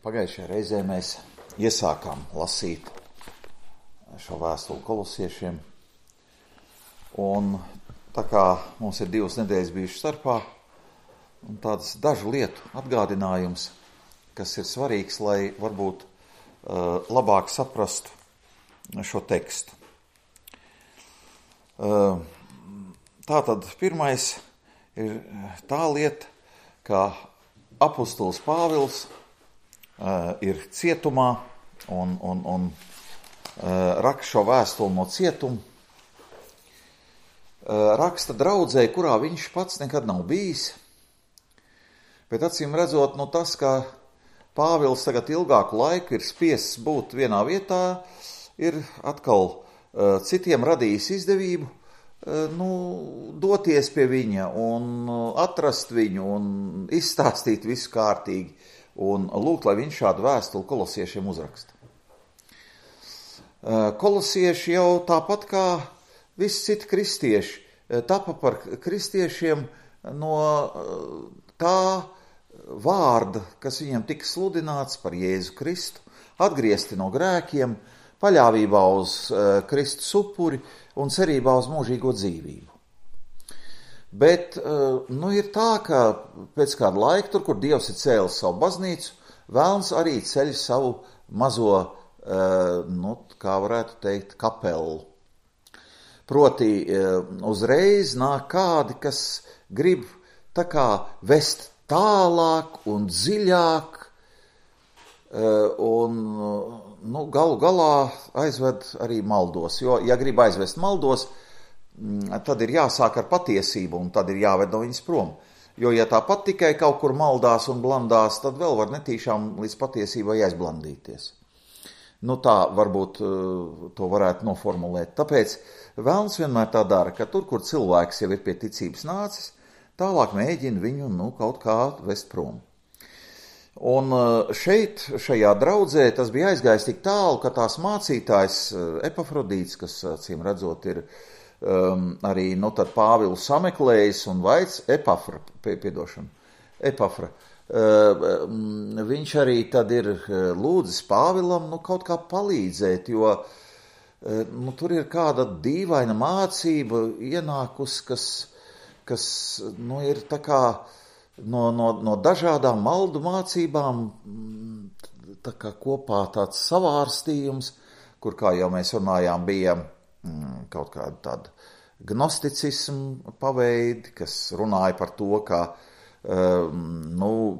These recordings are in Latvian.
Pagājušajā reizē mēs iesākām lasīt šo vēstuli kolosiešiem, un tā kā mums ir 2 nedēļas bijušas starpā, un tāds dažu lietu atgādinājums, kas ir svarīgs, lai varbūt labāk saprastu šo tekstu. Tātad pirmais ir tā lieta, ka apustulis Pāvils ir cietumā un raksta šo vēstuli no cietuma. Raksta draudzē, kurā viņš pats nekad nav bijis, bet acīm redzot, tas, ka Pāvils tagad ilgāku laiku ir spiests būt vienā vietā, ir atkal citiem radījis izdevību, doties pie viņa un atrast viņu un izstāstīt visu kārtīgi un lūgt, lai viņš šādu vēstuli kolosiešiem uzraksta. Kolosieši jau tāpat kā visi citi kristieši tapa par kristiešiem no tā vārda, kas viņam tika sludināts par Jēzu Kristu, atgriezti no grēkiem, paļāvībā uz Kristus upuri un cerībā uz mūžīgo dzīvību. Bet ir tā, ka pēc kāda laika, tur, kur Dievs ir cēlis savu baznīcu, vēlns arī ceļ savu mazo, kā varētu teikt, kapelu. Proti uzreiz nāk kādi, kas grib tā kā vest tālāk un dziļāk, un galu galā aizved arī maldos. Jo, ja grib aizvest maldos, tad ir jāsāk ar patiesību, un tad ir jāved no viņas prom. Jo, ja tāpat tikai kaut kur maldās un blandās, tad vēl var netīšām līdz patiesībai aizblandīties. Tā varbūt to varētu noformulēt. Tāpēc vēlns vienmēr tā dara, ka tur, kur cilvēks jau ir pie ticības nācis, tālāk mēģina viņu kaut kā vest prom. Un šeit, šajā draudzē, tas bija aizgājis tik tālu, ka tās mācītājs Epafrodīts, kas, acīm redzot, ir arī tad Pāvilu sameklējis un vaic Epafra, viņš arī tad ir lūdzis Pāvilam kaut kā palīdzēt, jo tur ir kāda dīvaina mācība ienākusi, kas ir tā kā no dažādām maldu mācībām tā kā kopā tāds savārstījums, kur, kā jau mēs runājām, bija kaut kāda tāda gnosticismu paveidi, kas runāja par to, ka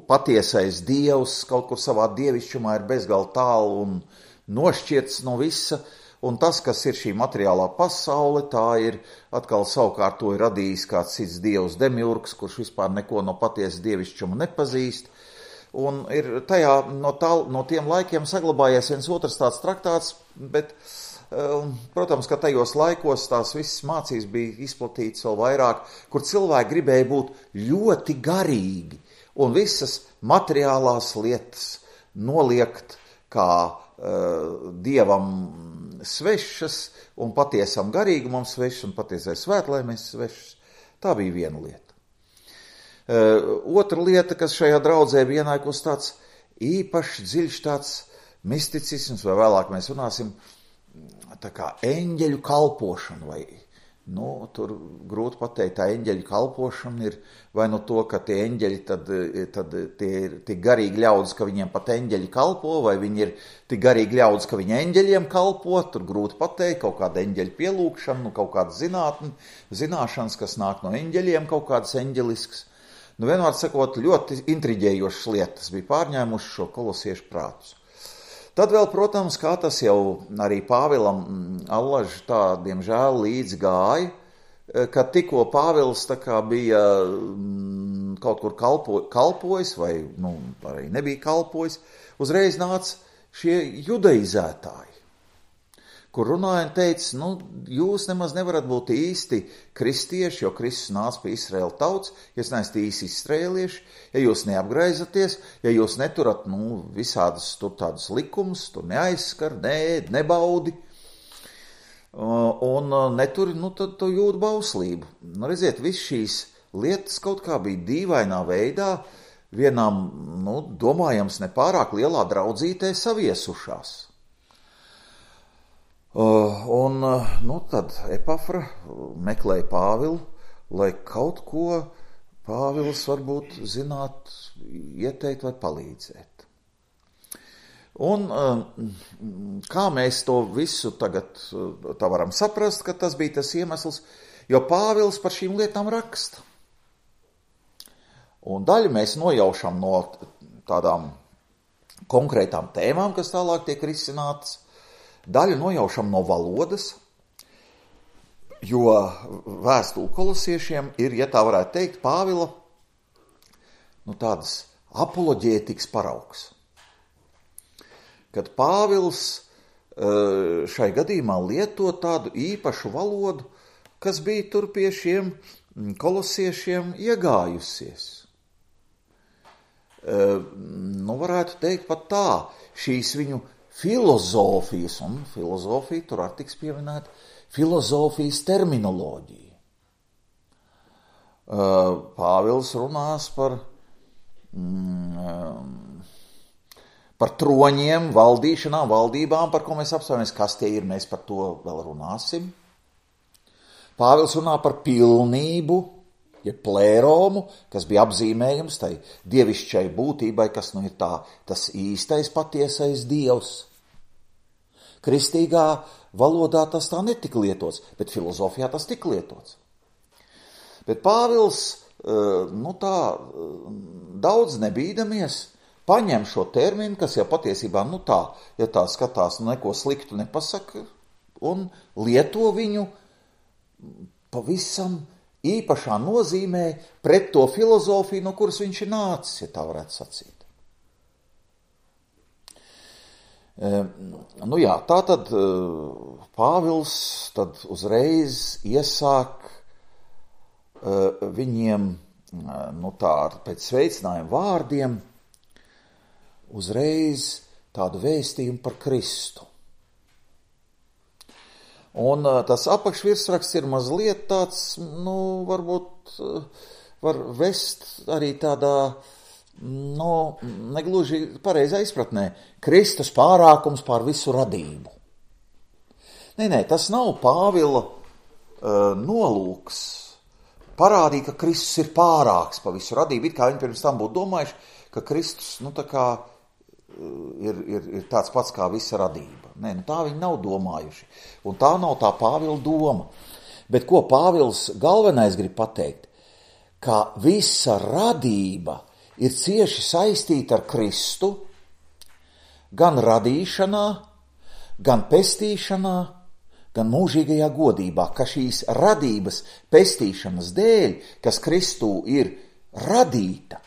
patiesais Dievs kaut kur savā dievišķumā ir bezgalīgi tālu un nošķirts no visa, un tas, kas ir šī materiālā pasaule, tā ir atkal savukārt to ir radījis kāds cits dievs demiurgs, kurš vispār neko no patiesas dievišķuma nepazīst, un ir tajā no tiem laikiem saglabājies viens otrs tāds traktāts, bet protams, ka tajos laikos tās visas mācības bija izplatītas vēl vairāk, kur cilvēki gribēja būt ļoti garīgi un visas materiālās lietas noliegt kā Dievam svešas un patiesam garīgumam svešas un patiesai svētlaimēs svešas. Tā bija viena lieta. Otra lieta, kas šajā draudzē bija ienākus tāds īpaši dziļš tāds misticisms, vai vēlāk mēs runāsim, tā kā eņģeļu kalpošana, vai, tur grūti pateikt, tā eņģeļu kalpošana ir vai to, ka tie eņģeļi tad tie ir tik garīgi ļaudis, ka viņiem pat eņģeļi kalpo, vai viņi ir tik garīgi ļaudis, ka viņi eņģeļiem kalpo, tur grūti pateikt, kaut kāda eņģeļu pielūgšana, kaut kāda zināšanas, kas nāk no eņģeļiem, kaut kādas eņģeliskas. Vienmēr sakot, ļoti intriģējošas lietas bija pārņēmuši šo kolosiešu prātus. Tad vēl, protams, kā tas jau arī Pāvilam allaž tā, diemžēl, līdz gāja, kad tikko Pāvils tā kā bija kaut kur kalpojis, vai arī nebija kalpojis, uzreiz nāca šie judaizētāji, kur runāja un teica, jūs nemaz nevarat būt īsti kristieši, jo Kristus nāca pie Izraēla tauts, ja jūs neesat īsti izraēlieši, ja jūs neapgraizaties, ja jūs neturat visādas tur tādas likumus, tur neaizskar, nebaudi, un neturi, tad tu jūt bauslību. Redziet, viss šīs lietas kaut kā bija dīvainā veidā vienām, domājams, nepārāk lielā draudzītē saviesušās. Tad Epafra meklēja Pāvilu, lai kaut ko Pāvils varbūt zināt, ieteikt vai palīdzēt. Un kā mēs to visu tagad tā varam saprast, ka tas bija tas iemesls, jo Pāvils par šīm lietām raksta. Un daļu mēs nojaušam no tādām konkrētām tēmām, kas tālāk tiek risinātas, daļu nojaušam no valodas, jo vēstule kolosiešiem ir, ja tā varētu teikt, Pāvila, tādas apoloģētikas paraugs. Kad Pāvils šai gadījumā lieto tādu īpašu valodu, kas bija tur pie šiem kolosiešiem iegājusies. Varētu teikt pat tā, šīs viņu filozofijas, un filozofija tur arī tiks pieminēta, filozofijas terminoloģija. Pāvils runās par troņiem, valdīšanām, valdībām, par ko mēs apstāmies, kas tie ir, mēs par to vēl runāsim. Pāvils runā par pilnību, ja plēromu, kas bija apzīmējums tai dievišķai būtībai, kas ir tas īstais, patiesais Dievs. Kristīgā valodā tas tā netika lietots, bet filozofijā tas tika lietots. Bet Pāvils, daudz nebīdamies, paņem šo terminu, kas jau patiesībā, ja tā skatās, neko sliktu nepasaka, un lieto viņu pavisam īpašā nozīmē pret to filozofiju, no kuras viņš ir nācis, ja tā varētu sacīt. Tātad Pāvils tad uzreiz iesāk viņiem, pēc sveicinājuma vārdiem, uzreiz tādu vēstījumu par Kristu. Un tas apakšvirsraksts ir mazliet tāds, varbūt var vest arī tādā, negluži pareizā izpratnē, Kristus pārākums pār visu radību. Nē, tas nav Pāvila nolūks parādīt, ka Kristus ir pārāks pa visu radību, it kā viņi pirms tam būtu domājuši, ka Kristus, ir tāds pats kā visa radība. Nē, tā viņi nav domājuši. Un tā nav tā Pāvila doma. Bet ko Pāvils galvenais grib pateikt? Ka visa radība ir cieši saistīta ar Kristu, gan radīšanā, gan pestīšanā, gan mūžīgajā godībā, ka šīs radības pestīšanas dēļ, kas Kristū ir radīta,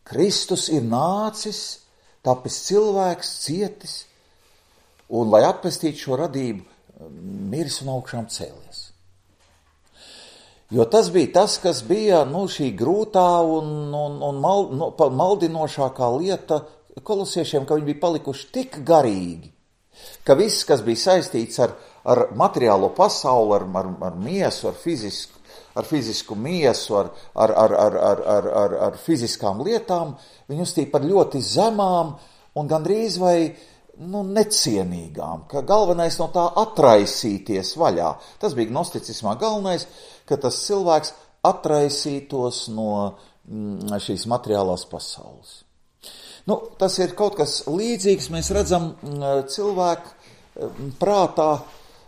Kristus ir nācis, tapis cilvēks, cietis, un, lai atpestītu šo radību, miris un augšām cēlies. Jo tas bija tas, kas bija šī grūtā un maldinošākā lieta kolosiešiem, ka viņi bija palikuši tik garīgi, ka viss, kas bija saistīts ar materiālo pasauli, ar miesu, ar fizisku miesu, ar fiziskām lietām, viņi uzstīja par ļoti zemām un gandrīz vai necienīgām, ka galvenais no tā atraisīties vaļā. Tas bija gnosticismā galvenais, ka tas cilvēks atraisītos no šīs materiālās pasaules. Tas ir kaut kas līdzīgs, mēs redzam cilvēku prātā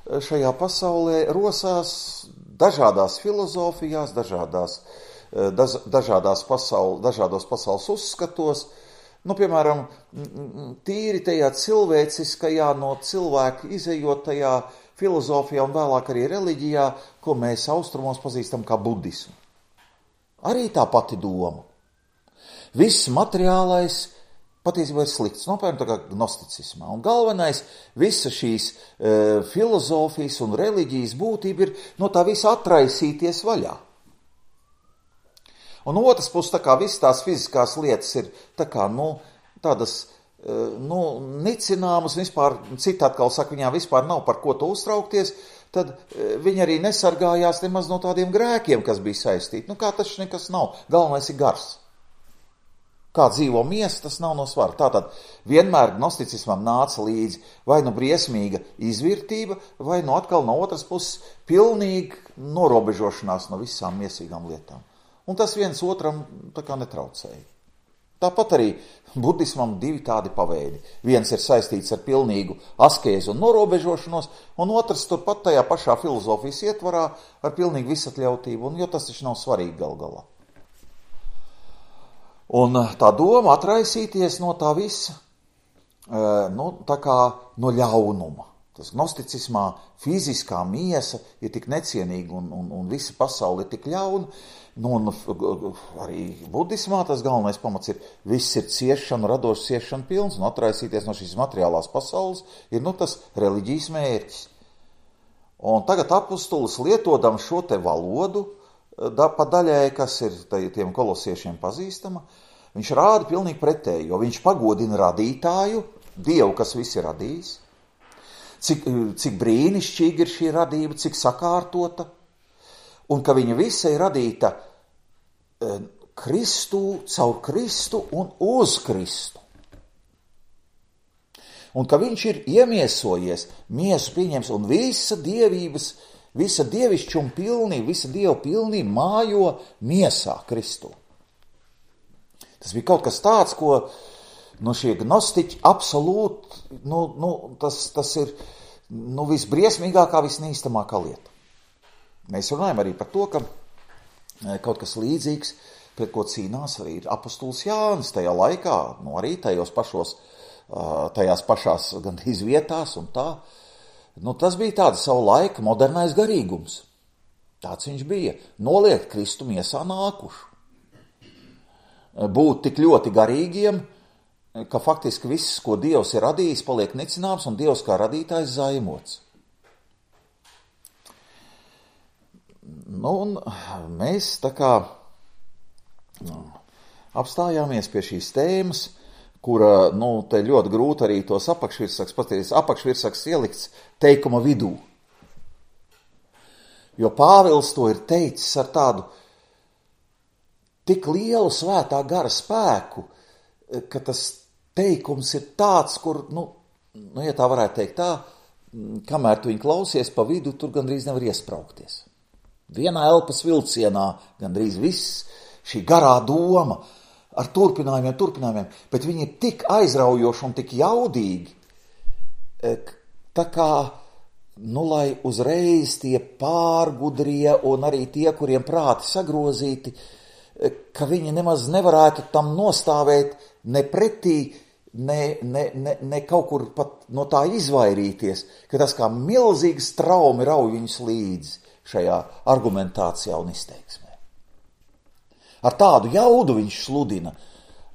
šajā pasaulē rosās dažādās filozofijās, dažādos pasaules uzskatos, piemēram, tīri tajā cilvēciskajā no cilvēka izejot tajā filozofijā un vēlāk arī reliģijā, ko mēs austrumos pazīstam kā budismu. Arī tā pati doma. Viss materiālais patiesībā ir slikts, piemēram, tā kā gnosticismā. Un galvenais, visa šīs filozofijas un reliģijas būtība ir no tā visa atraisīties vaļā. Un otrs puses, tā kā visas tās fiziskās lietas ir tādas nicināmas, vispār, citi atkal saka, viņām vispār nav par ko to uztraukties, tad viņi arī nesargājās nemaz no tādiem grēkiem, kas bija saistīti. Kā tas nekas nav, galvenais ir gars. Kā dzīvo miesa, tas nav no svara. Tātad vienmēr gnosticismam nāca līdzi vai nu briesmīga izvirtība, vai nu atkal no otras puses pilnīga norobežošanās no visām miesīgām lietām. Un tas viens otram tā kā netraucēja. Tāpat arī budismam divi tādi paveidi. Viens ir saistīts ar pilnīgu askēzi un norobežošanos, un otrs turpat tajā pašā filozofijas ietvarā ar pilnīgu visatļautību, jo tas taču nav svarīgi gal galā. Un tā doma atraisīties no tā visa, tā kā no ļaunuma. Tas gnosticismā fiziskā miesa ir tik necienīga un visa pasaule ir tik ļauna. Un arī budismā tas galvenais pamats ir, viss ir ciešana, radoša ciešana pilns, un atraisīties no šīs materiālās pasaules ir tas reliģijas mērķis. Un tagad apustulis lietodam šo te valodu, pa daļai, kas ir tiem kolosiešiem pazīstama, viņš rāda pilnīgi pretēji, jo viņš pagodina radītāju, Dievu, kas viss ir radījis, cik brīnišķīgi ir šī radība, cik sakārtota, un ka viņa visa ir radīta Kristu, caur Kristu un uz Kristu. Un ka viņš ir iemiesojies, miesu pieņems, un visa dievišķuma pilnība, visa Dieva pilnība mājo miesā Kristu. Tas bija kaut kas tāds, ko šie gnostiķi absolūti, tas ir visbriesmīgākā, visnīstamākā lieta. Mēs runājam arī par to, ka kaut kas līdzīgs, pret ko cīnās arī ir apustulis Jānis tajā laikā, arī tajās pašās gandrīz vietās un tā. Tas bija tāda savu laika modernais garīgums. Tāds viņš bija. Noliegt Kristu miesā nākušu. Būt tik ļoti garīgiem, ka faktiski viss, ko Dievs ir radījis, paliek nicināms un Dievs kā radītājs zaimots. Un mēs tā kā apstājāmies pie šīs tēmas, kura, te ļoti grūti arī tos apakšvirsaks ielikts teikuma vidū. Jo Pāvils to ir teicis ar tādu tik lielu svētā gara spēku, ka tas teikums ir tāds, kur, ja tā varētu teikt tā, kamēr tu viņu klausies pa vidu, tur gandrīz nevar iespraukties. Vienā elpas vilcienā gandrīz viss šī garā doma ar turpinājumiem, bet viņi ir tik aizraujoši un tik jaudīgi, tā kā, lai uzreiz tie pārgudrie un arī tie, kuriem prāti sagrozīti, ka viņi nemaz nevarētu tam nostāvēt ne pretī, ne kaut kur pat no tā izvairīties, ka tas kā milzīgas traumi rauj viņus līdzi šajā argumentācijā un izteiksmē. Ar tādu jaudu viņš sludina,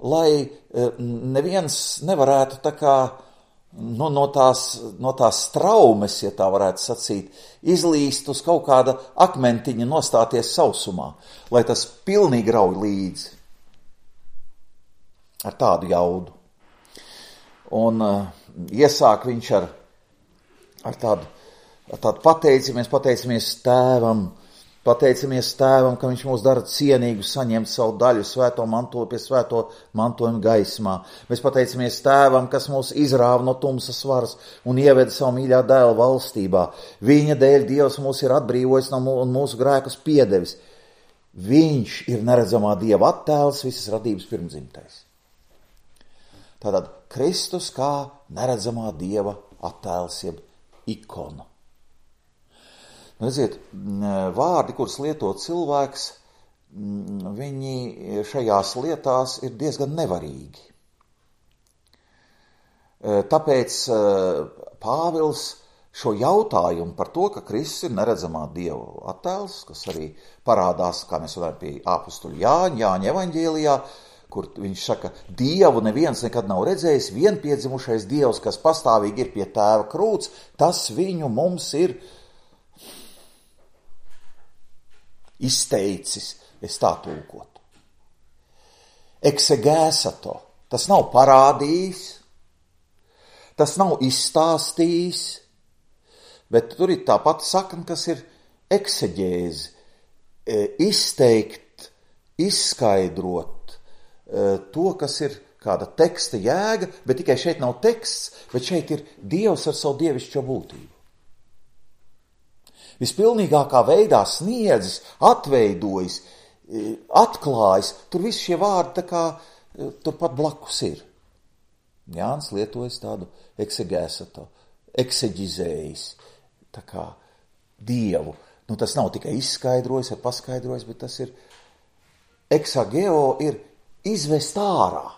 lai neviens nevarētu tā kā no tās traumes, ja tā varētu sacīt, izlīst uz kaut kāda akmentiņa, nostāties sausumā, lai tas pilnīgi rauj līdzi. Ar tādu jaudu. Un iesāk viņš ar tādu pateicamies Tēvam, ka viņš mūs dara cienīgus saņemt savu daļu svēto mantojuma gaismā. Mēs pateicamies Tēvam, kas mūs izrāva no tumsas varas un ieveda savu mīļā dēla valstībā. Viņa dēļ Dievs mūs ir atbrīvojis un mūsu grēkus piedevis. Viņš ir neredzamā Dieva attēls, visas radības pirmdzimtais. Tātad Kristus kā neredzamā Dieva attēls, jeb ikona. Redziet, vārdi, kurus lieto cilvēks, viņi šajās lietās ir diezgan nevarīgi. Tāpēc Pāvils šo jautājumu par to, ka Kristus ir neredzamā Dieva attēls, kas arī parādās, kā mēs varētu pie apustuļa Jāņa evaņģēlijā, kur viņš saka, Dievu neviens nekad nav redzējis, vienpiedzimušais Dievs, kas pastāvīgi ir pie Tēva krūts, tas viņu mums ir izteicis, es tā tulkotu. Eksegēsato, tas nav parādījis, tas nav izstāstījis, bet tur ir tā pati sakna, kas ir eksegēzi, izteikt, izskaidrot, to, kas ir kāda teksta jēga, bet tikai šeit nav teksts, bet šeit ir Dievs ar savu dievišķo būtību. Vispilnīgākā veidā sniedzis, atveidojis, atklājis, tur visi šie vārdi tā kā turpat blakus ir. Jānis lietojas tādu eksegēsato, ekseģizējis, tā kā Dievu. Nu, tas nav tikai izskaidrojis vai paskaidrojis, bet tas ir eksageo ir izvest ārā.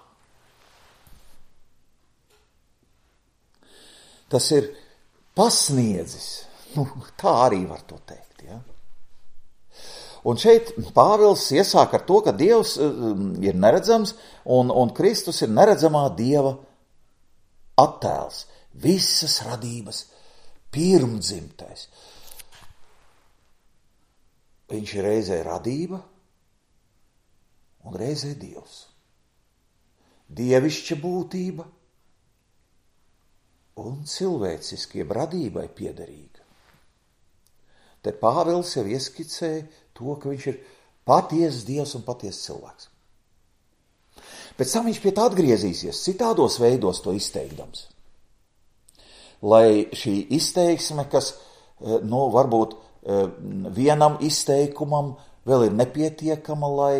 Tas ir pasniedzis. Nu, tā arī var to teikt. Ja? Un šeit Pāvils iesāk ar to, ka Dievs ir neredzams un Kristus ir neredzamā Dieva attēls. Visas radības pirmdzimtais. Viņš ir reizē radība un reizē Dievs. Dievišķa būtība un cilvēciski, jeb radībai piederīga. Te Pāvils jau ieskicēja to, ka viņš ir patiesas Dievs un patiesas cilvēks. Pēc tam viņš pie tā atgriezīsies, citādos veidos to izteikdams. Lai šī izteiksme, kas, varbūt vienam izteikumam vēl ir nepietiekama, lai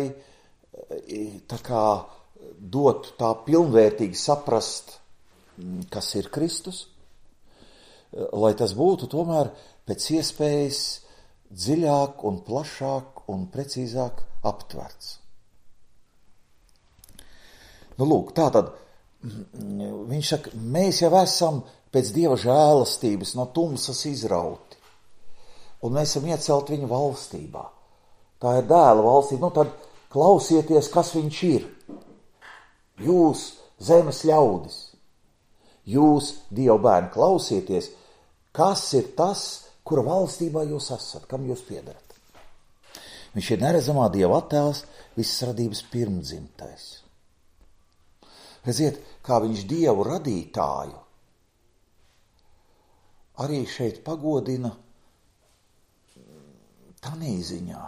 tā kā dotu tā pilnvērtīgi saprast, kas ir Kristus, lai tas būtu tomēr pēc iespējas dziļāk un plašāk un precīzāk aptverts. Nu, lūk, tātad viņš saka, mēs jau esam pēc Dieva žēlastības no tumsas izrauti, un mēs esam iecelti viņa valstībā. Tā ir dēla valstība. Nu, tad klausieties, kas viņš ir. Jūs, zemes ļaudis, jūs, Dieva bērni, klausieties, kas ir tas, kura valstībā jūs esat, kam jūs piederat. Viņš ir neredzamā Dieva attēls, visas radības pirmdzimtais. Redziet, kā viņš Dievu radītāju arī šeit pagodina tādā ziņā,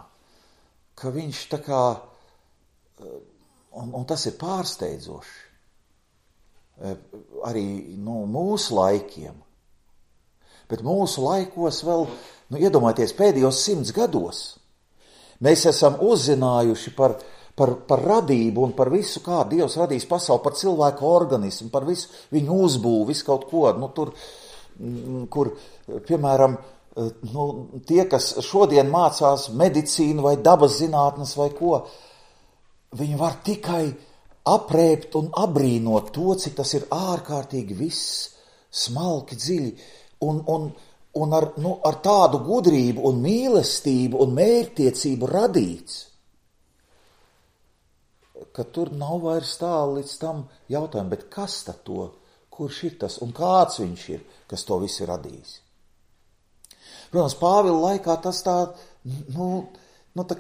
ka viņš tā kā, un tas ir pārsteidzoši, arī mūsu laikiem, bet mūsu laikos vēl, iedomājieties, pēdējos 100 gados, mēs esam uzzinājuši par radību un par visu, kā Dievs radīs pasauli, par cilvēku organismu, par visu viņu uzbūvu, visu kaut ko, tur, kur, piemēram, tie, kas šodien mācās medicīnu vai dabas zinātnes vai ko, viņi var tikai aprēpt un abrīnot to, cik tas ir ārkārtīgi viss, smalki, dziļi, un ar tādu gudrību un mīlestību un mērķtiecību radīts, ka tur nav vairs tālu līdz tam jautājumam, bet kas tad to, kurš ir tas un kāds viņš ir, kas to visu ir radījis. Protams, Pāvila laikā tas tā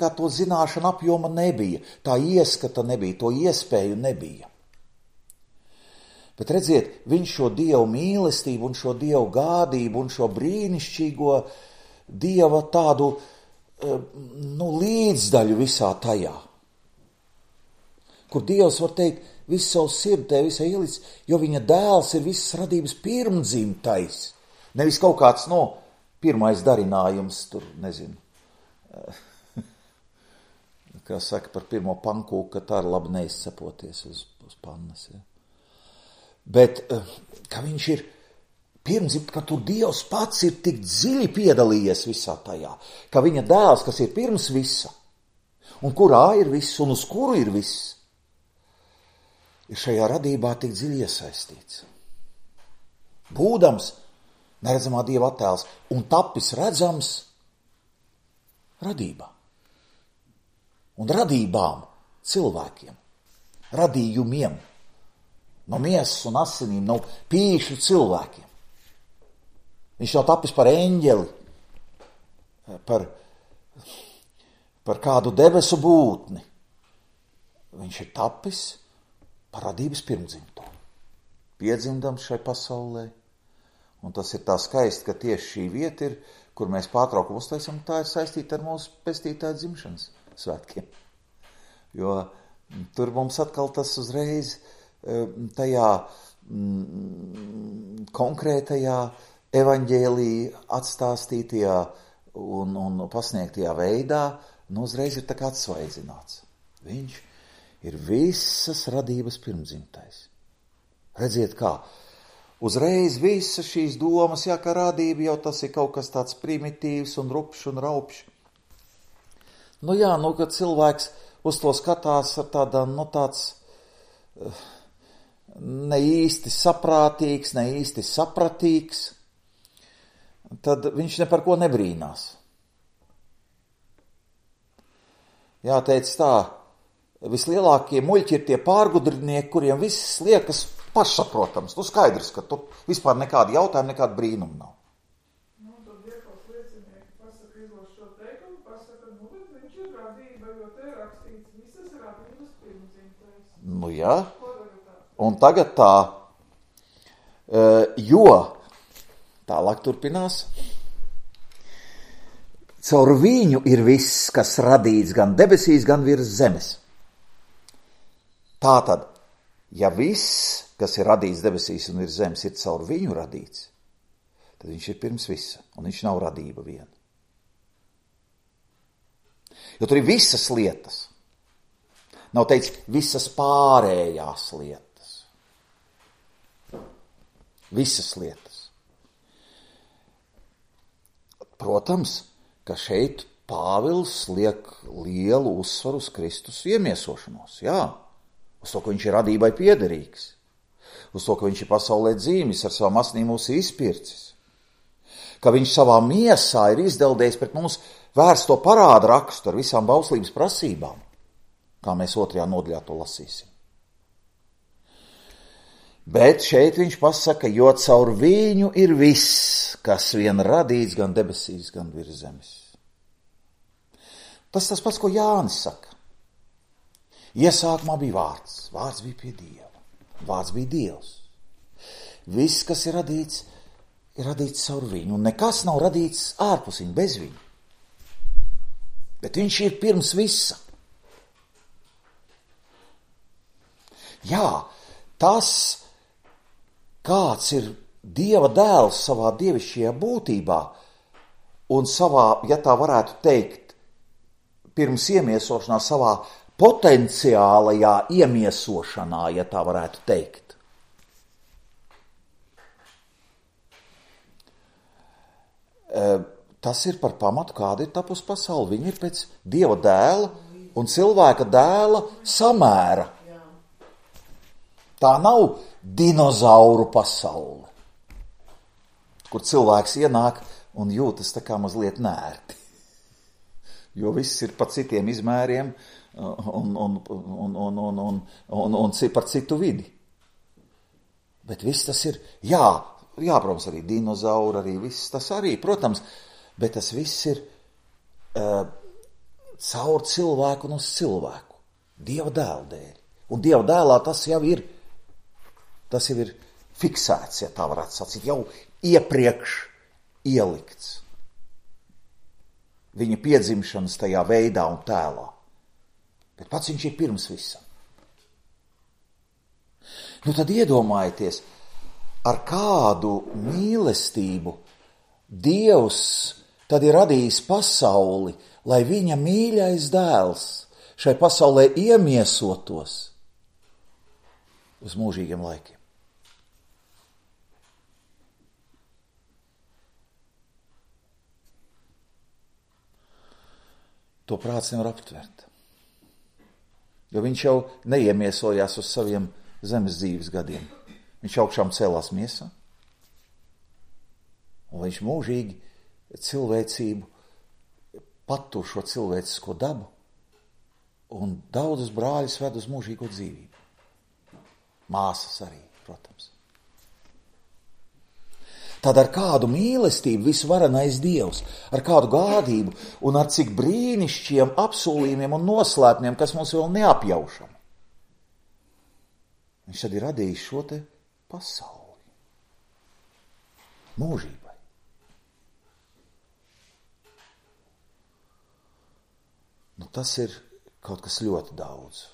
kā to zināšana apjoma nebija, tā ieskata nebija, to iespēju nebija. Bet redziet, viņš šo Dievu mīlestību un šo Dievu gādību un šo brīnišķīgo Dieva tādu līdzdaļu visā tajā, kur Dievs var teikt, visu savu sirdi visai ielicis, jo viņa dēls ir visas radības pirmdzimtais. Nevis kaut kāds, pirmais darinājums, tur, nezinu, kā saka par pirmo pankūku, ka tā ir labi neizcepoties uz pannas. Ja. Bet, ka viņš ir pirmdzimt, ka tur Dievs pats ir tik dziļi piedalījies visā tajā, ka viņa dēls, kas ir pirms visa, un kurā ir viss, un uz kuru ir viss, ir šajā radībā tik dziļi iesaistīts. Būdams neredzamā Dieva attēls un tapis redzams radībā. Un radībām cilvēkiem, radījumiem, no miesas un asinīm, no pīšu cilvēkiem. Viņš nav tapis par eņģeli, par kādu debesu būtni. Viņš ir tapis par radības pirmdzimto. Piedzimdams šai pasaulē. Un tas ir tā skaisti, ka tieši šī vieta ir, kur mēs pārtraukumu uztaisam, tā ir saistīta ar mūsu pestītāju dzimšanas svētkiem. Jo Tur mums atkal tas uzreiz tajā konkrētajā evaņģēlija atstāstītajā un pasniegtajā veidā, uzreiz ir tā kā atsvaidzināts. Viņš ir visas radības pirmdzimtais. Redziet kā, uzreiz visas šīs domas, ka radība jau tas ir kaut kas tāds primitīvs un rupšs un raupšs. Kad cilvēks uz to skatās ar tādām, tāds ne īsti saprātīgs, ne īsti sapratīgs, tad viņš ne par ko nebrīnās. Jāteic tā, vislielākie muļķi ir tie pārgudrinieki, kuriem viss liekas pašsaprotams. Skaidrs, ka tu vispār nekādi jautājumi, nekāda brīnuma nav. Tad Dievs liecinieki pasaka, izlas šo teikumu, pasaka, bet viņš ir radība, jo te rakstīts visas radības pirmdzimtais. Jā. Un tagad tā, jo tālāk turpinās. Caur viņu ir viss, kas radīts gan debesīs, gan virs zemes. Tātad, ja viss, kas ir radīts debesīs un virs zemes, ir caur viņu radīts, tad viņš ir pirms visa, un viņš nav radība viena. Jo tur ir visas lietas. Nav teicis visas pārējās lietas. Visas lietas. Protams, ka šeit Pāvils liek lielu uzsvaru uz Kristus iemiesošanos, uz to, ka viņš ir radībai piederīgs, uz to, ka viņš ir pasaulē dzīvis, ar savu asnīm mūs izpircis, ka viņš savā miesā ir izdeldējis pret mums vērsto parāda rakstu ar visām bauslības prasībām, kā mēs 2. nodaļā to lasīsim. Bet šeit viņš pasaka, jo caur viņu ir viss, kas vien radīts gan debesīs, gan virs zemes. Tas pats, ko Jānis saka. Iesākumā bija vārds, vārds bija pie Dieva, vārds bija Dievs. Viss, kas ir radīts caur viņu, un nekas nav radīts ārpus viņa, bez viņa. Bet viņš ir pirms visa. Tas, kāds ir Dieva dēls savā dievišķajā būtībā un savā, ja tā varētu teikt, pirms iemiesošanā, savā potenciālajā iemiesošanā, ja tā varētu teikt. Tas ir par pamatu, kāda ir tapus pasauli. Viņa ir pēc Dieva dēla un cilvēka dēla samēra. Tā nav dinozauru pasaule, kur cilvēks ienāk un jūtas tā kā mazliet nērti. Jo viss ir pa citiem izmēriem un par citu vidi. Bet viss tas ir, protams, arī dinozauri, arī viss tas arī, protams, bet tas viss ir caur cilvēku un uz cilvēku, Dieva dēla dēļ. Un Dieva dēlā tas jau ir fiksēts, ja tā varētu sacīt, jau iepriekš ielikts. Viņa piedzimšanas tajā veidā un tēlā. Bet pats viņš ir pirms visam. Tad iedomājieties, ar kādu mīlestību Dievs tad ir radījis pasauli, lai viņa mīļais dēls šai pasaulē iemiesotos uz mūžīgiem laikiem. To prāts nevar aptvert. Jo viņš jau neiemiesojās uz saviem zemes dzīves gadiem. Viņš augšām cēlās miesā. Un viņš mūžīgi cilvēcību patur šo cilvēcisko dabu un daudzus brāļus ved uz mūžīgo dzīvību. Māsas arī, protams. Tad ar kādu mīlestību visvarenais Dievs, ar kādu gādību un ar cik brīnišķiem apsolījumiem un noslēpumiem, kas mums vēl neapjaušam. Viņš tad ir radījis šo te pasauli. Mūžībai. Tas ir kaut kas ļoti daudz.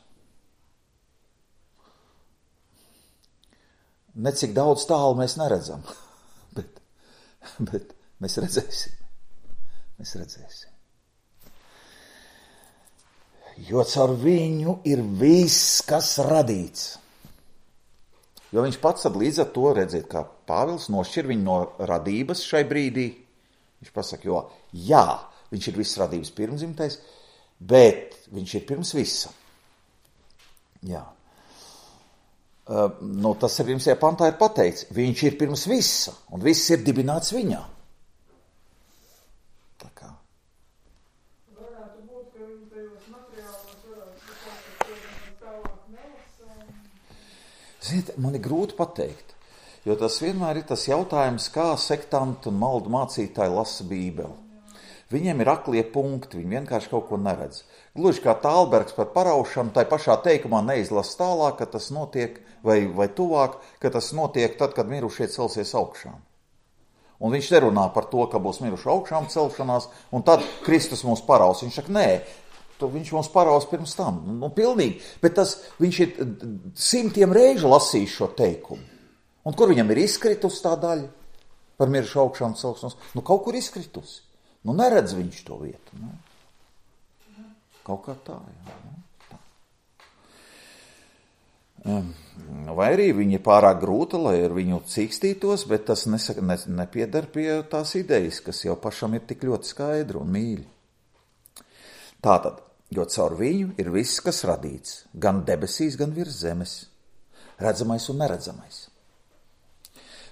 necik daudz tālu mēs neredzam, bet mēs redzēsim. Mēs redzēsim. Jo caur viņu ir viss, kas radīts. Jo viņš pats tad līdz ar to, redziet, kā Pāvils nošķir viņu no radības šai brīdī. Viņš pasaka, jo jā, viņš ir viss radības pirmzimtais, bet viņš ir pirms visa. Jā. Tas ar pirmsajā pantā ir pateikts. Viņš ir pirms visa, un viss ir dibināts viņā. Tā kā. Varētu būt, ka viņi tajos materiālos varētu tālāk nelasām. Ziniet, man ir grūti pateikt, jo tas vienmēr ir tas jautājums, kā sektanti un maldu mācītāji lasa Bībeli. Viņiem ir aklie punkti, viņi vienkārši kaut ko neredz. Gluži kā Tālbergs par paraušanu, tai pašā teikumā neizlasa tālāk, ka tas notiek, vai tuvāk, ka tas notiek tad, kad mirušie celsies augšām. Un viņš nerunā par to, ka būs miruši augšām celšanās, un tad Kristus mūs paraus. Viņš saka, nē, viņš mūs paraus pirms tam. Pilnīgi, bet viņš ir 100 reižu lasījis šo teikumu. Un kur viņam ir izkritusi tā daļa par mirušu augšām celšanos? Kaut kur izkritusi. Neredz viņš to vietu. Kaut kā tā, jā. Vai arī viņi ir pārāk grūta, lai ar viņu cīkstītos, bet tas nepiedar pie tās idejas, kas jau pašam ir tik ļoti skaidra un mīļa. Tātad, jo caur viņu ir viss, kas radīts, gan debesīs, gan virs zemes, redzamais un neredzamais.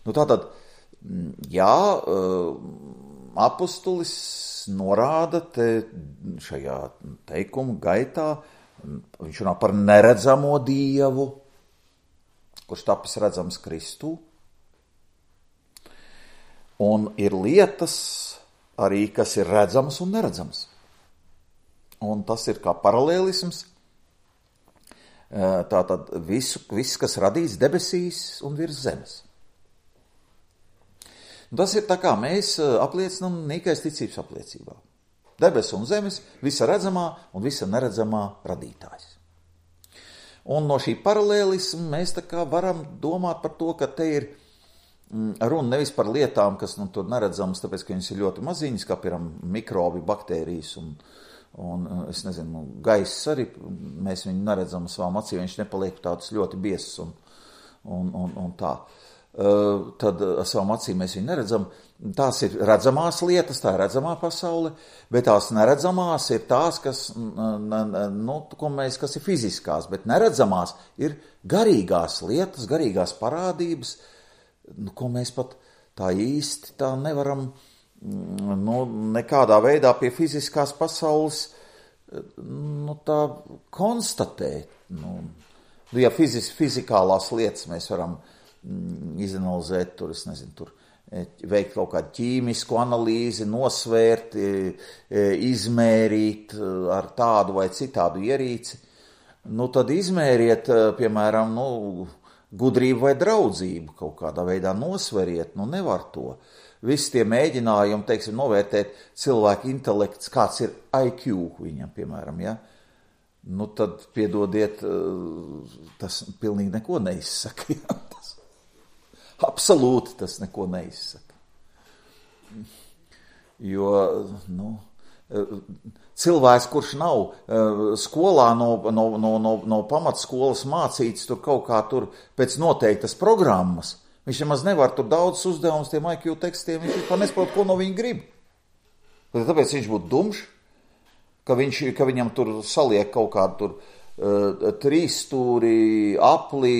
Tātad, jā, apostolis norāda te šajā teikuma gaitā, viņš runā par neredzamo Dievu, kurš tapis redzams Kristū. Un ir lietas arī, kas ir redzamas un neredzamas. Un tas ir kā paralēlisms. Tātad viss, kas radīts debesīs un virs zemes. Tas ir tā kā mēs apliecinām nīkais ticības apliecībā. Debes un zemes, visa redzamā un visa neredzamā radītājs. Un no šī paralēlisma mēs tā kā varam domāt par to, ka te ir runa nevis par lietām, kas tur neredzamas, tāpēc, ka viņas ir ļoti maziņas, kā piemēram mikrobi, baktērijas un es nezinu, gaiss arī, mēs viņu neredzam savām acīm, viņš nepaliek tāds ļoti biezs un tā. Tad ar savām acīm mēs viņu neredzam. Tās ir redzamās lietas, tā ir redzamā pasaule, bet tās neredzamās ir tās, kas ir fiziskās, bet neredzamās ir garīgās lietas, garīgās parādības, ko mēs pat tā īsti tā nevaram nekādā veidā pie fiziskās pasaules tā konstatēt. Ja fizikālās lietas mēs varam izanalizēt, es nezinu, veikt kaut kādu ķīmisku analīzi, nosvērt, izmērīt ar tādu vai citādu ierīci, tad izmēriet, piemēram, gudrību vai draudzību, kaut kādā veidā nosveriet, nevar to. Visi tie mēģinājumi, teiksim, novērtēt cilvēku intelekts, kāds ir IQ viņam, piemēram, ja? Tad, piedodiet, tas pilnīgi neko neizsaka, ja? Absolūti tas neko neizsaka. Jo, cilvēks, kurš nav skolā no pamatskolas mācīts tur kaut kā tur pēc noteiktas programmas, viņš nemaz nevar tur daudz uzdevumus tiem IQ tekstiem, viņš vispār nesaprot, ko no viņa grib. Tāpēc viņš būtu dumšs, ka viņam tur saliek kaut kādu tur 3 stūri, apli,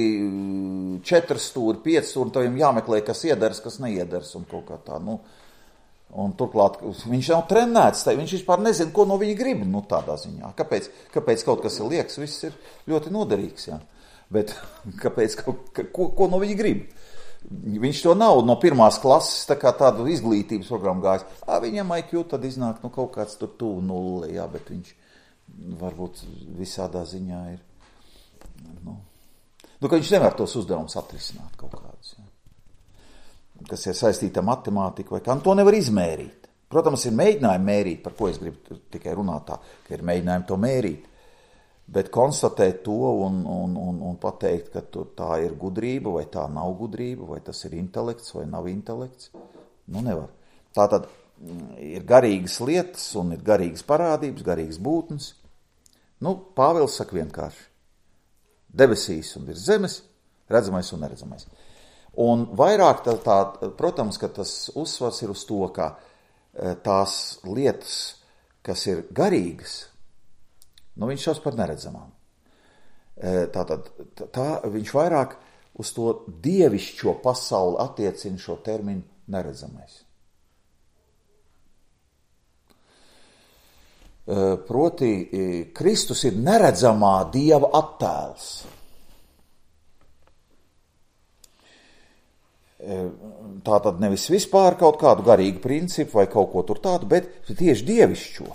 4 stūri, 5 stūri, un tev jāmeklē, kas iedars, kas neiedars, un kaut kā tā, un turklāt viņš nav trenēts, viņš vispār nezina, ko no viņa grib, tādā ziņā. Kāpēc kaut kas ir liekas, viss ir ļoti noderīgs, jā. Bet kāpēc, ko no viņa grib? Viņš to nav no 1. klases, tā kā tādu izglītības programmu gājis. Viņam IQ tad iznāk, kaut kāds tur tuvu 0, jā, bet viņš varbūt visādā ziņā ir, ka viņš nevar tos uzdevumus atrisināt kaut kādus, ja? Kas ir saistīta ar matemātiku vai kā, to nevar izmērīt. Protams, ir mēģinājumi mērīt, par ko es gribu tikai runāt tā, ka ir mēģinājumi to mērīt, Bet konstatēt to un pateikt, ka tā ir gudrība, vai tā nav gudrība, vai tas ir intelekts, vai nav intelekts, nevar. Tātad ir garīgas lietas un ir garīgas parādības, garīgas būtnes. Pāvils saka vienkārši. Debesīs un virs zemes, redzamais un neredzamais. Un vairāk protams, ka tas uzsvars ir uz to, ka tās lietas, kas ir garīgas, viņš šaus par neredzamām. Tātad viņš vairāk uz to dievišķo pasauli attiecina šo terminu neredzamais. Proti, Kristus ir neredzamā Dieva attēls. Tātad nevis vispār kaut kādu garīgu principu vai kaut ko tur tādu, bet tieši dievišķo.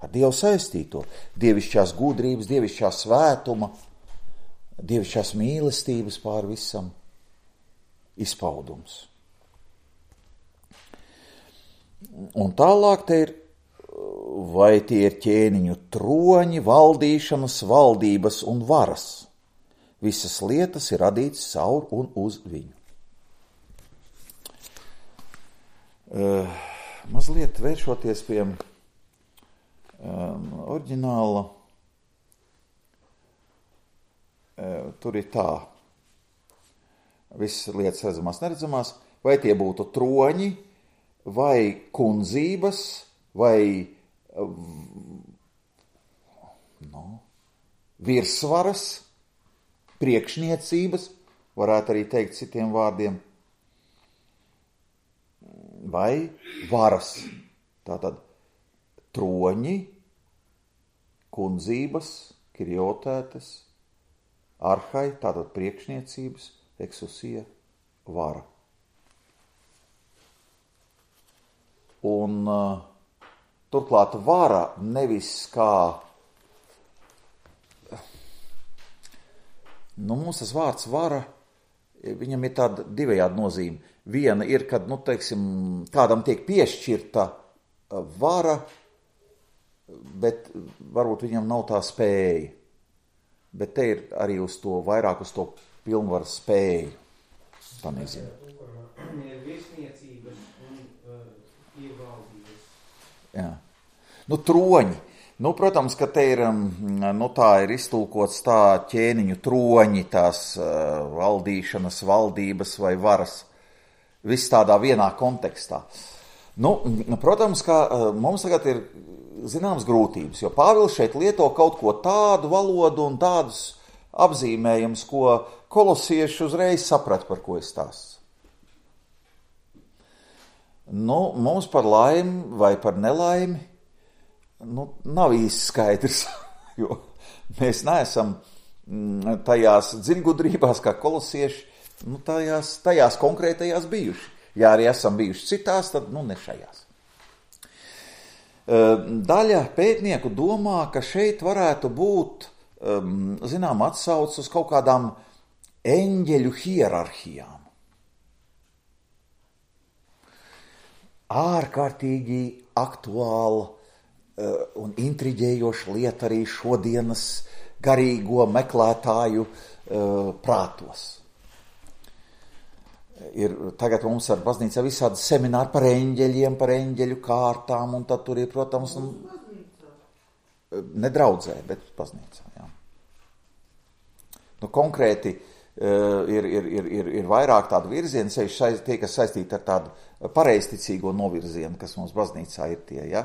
Ar Dievu saistīto. Dievišķās gudrības, dievišķā svētuma, dievišķās mīlestības pār visam izpaudums. Un tālāk te ir, vai tie ir ķēniņu troņi, valdīšanas, valdības un varas. Visas lietas ir radītas caur un uz viņu. Mazliet vēršoties pie oriģināla, tur ir tā. Visas lietas redzamās, neredzamās, vai tie būtu troņi, vai kundzības, vai virsvaras, priekšniecības, varētu arī teikt citiem vārdiem, vai varas. Tātad troņi, kundzības, kiriotētes, arhai, tātad priekšniecības, eksusija, vara. Un turklāt vara nevis kā, mums tas vārds vara, viņam ir tāda divējāda nozīme. Viena ir, kad, kādam tiek piešķirta vara, bet varbūt viņam nav tā spēja. Bet te ir arī uz to, vairāk uz to pilnvaru spēju. Tā nezinu. Ir virsniecības un ievaldības. Jā. Troņi. Protams, ka te ir, tā ir iztulkots tā ķēniņu troņi, tās valdīšanas, valdības vai varas. Viss tādā vienā kontekstā. Protams, ka mums tagad ir zināmas grūtības, jo Pāvils šeit lieto kaut ko tādu valodu un tādus apzīmējumus, ko kolosieši uzreiz saprat, par ko es stāstu. Mums par laimi vai par nelaimi, nav īsti skaidrs, jo mēs neesam tajās dziļgudrībās, kā kolosieši, tajās konkrētajās bijuši. Ja arī esam bijuši citās, tad ne šajās. Daļa pētnieku domā, ka šeit varētu būt, atsauce uz kaut kādām eņģeļu hierarhijām. Ārkārtīgi aktuāla un intriģējoša lieta arī šodienas garīgo meklētāju prātos. Tagad mums ar baznīcā visādi semināri par eņģeļiem, par eņģeļu kārtām, un tad tur ir, protams, nedraudzē, bet baznīcā, jā. Konkrēti ir vairāk tādu virzienu, tie, kas saistīti ar tādu pareizticīgo novirzienu, kas mums baznīcā ir tie, ja.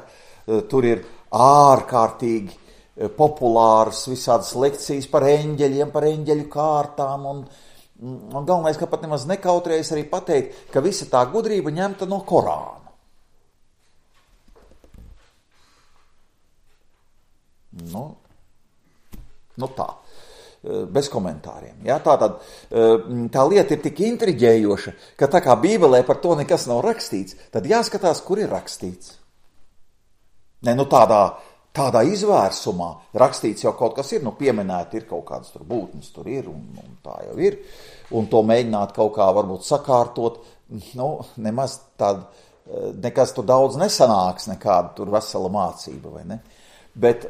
Tur ir ārkārtīgi populāras visādas lekcijas par eņģeļiem, par eņģeļu kārtām, un galvenais, ka pat nemaz nekautrējas arī pateikt, ka visa tā gudrība ņemta no Korāna. Tā, bez komentāriem. Ja? Tātad tā lieta ir tik intriģējoša, ka tā kā Bībelē par to nekas nav rakstīts, tad jāskatās, kur ir rakstīts. Tādā izvērsumā rakstīts jau kaut kas ir, pieminēti ir kaut kādas tur būtnes, tur ir, un tā jau ir, un to mēģināt kaut kā varbūt sakārtot, nemaz nekas tur daudz nesanāks, nekāda tur vesela mācība, vai ne? Bet,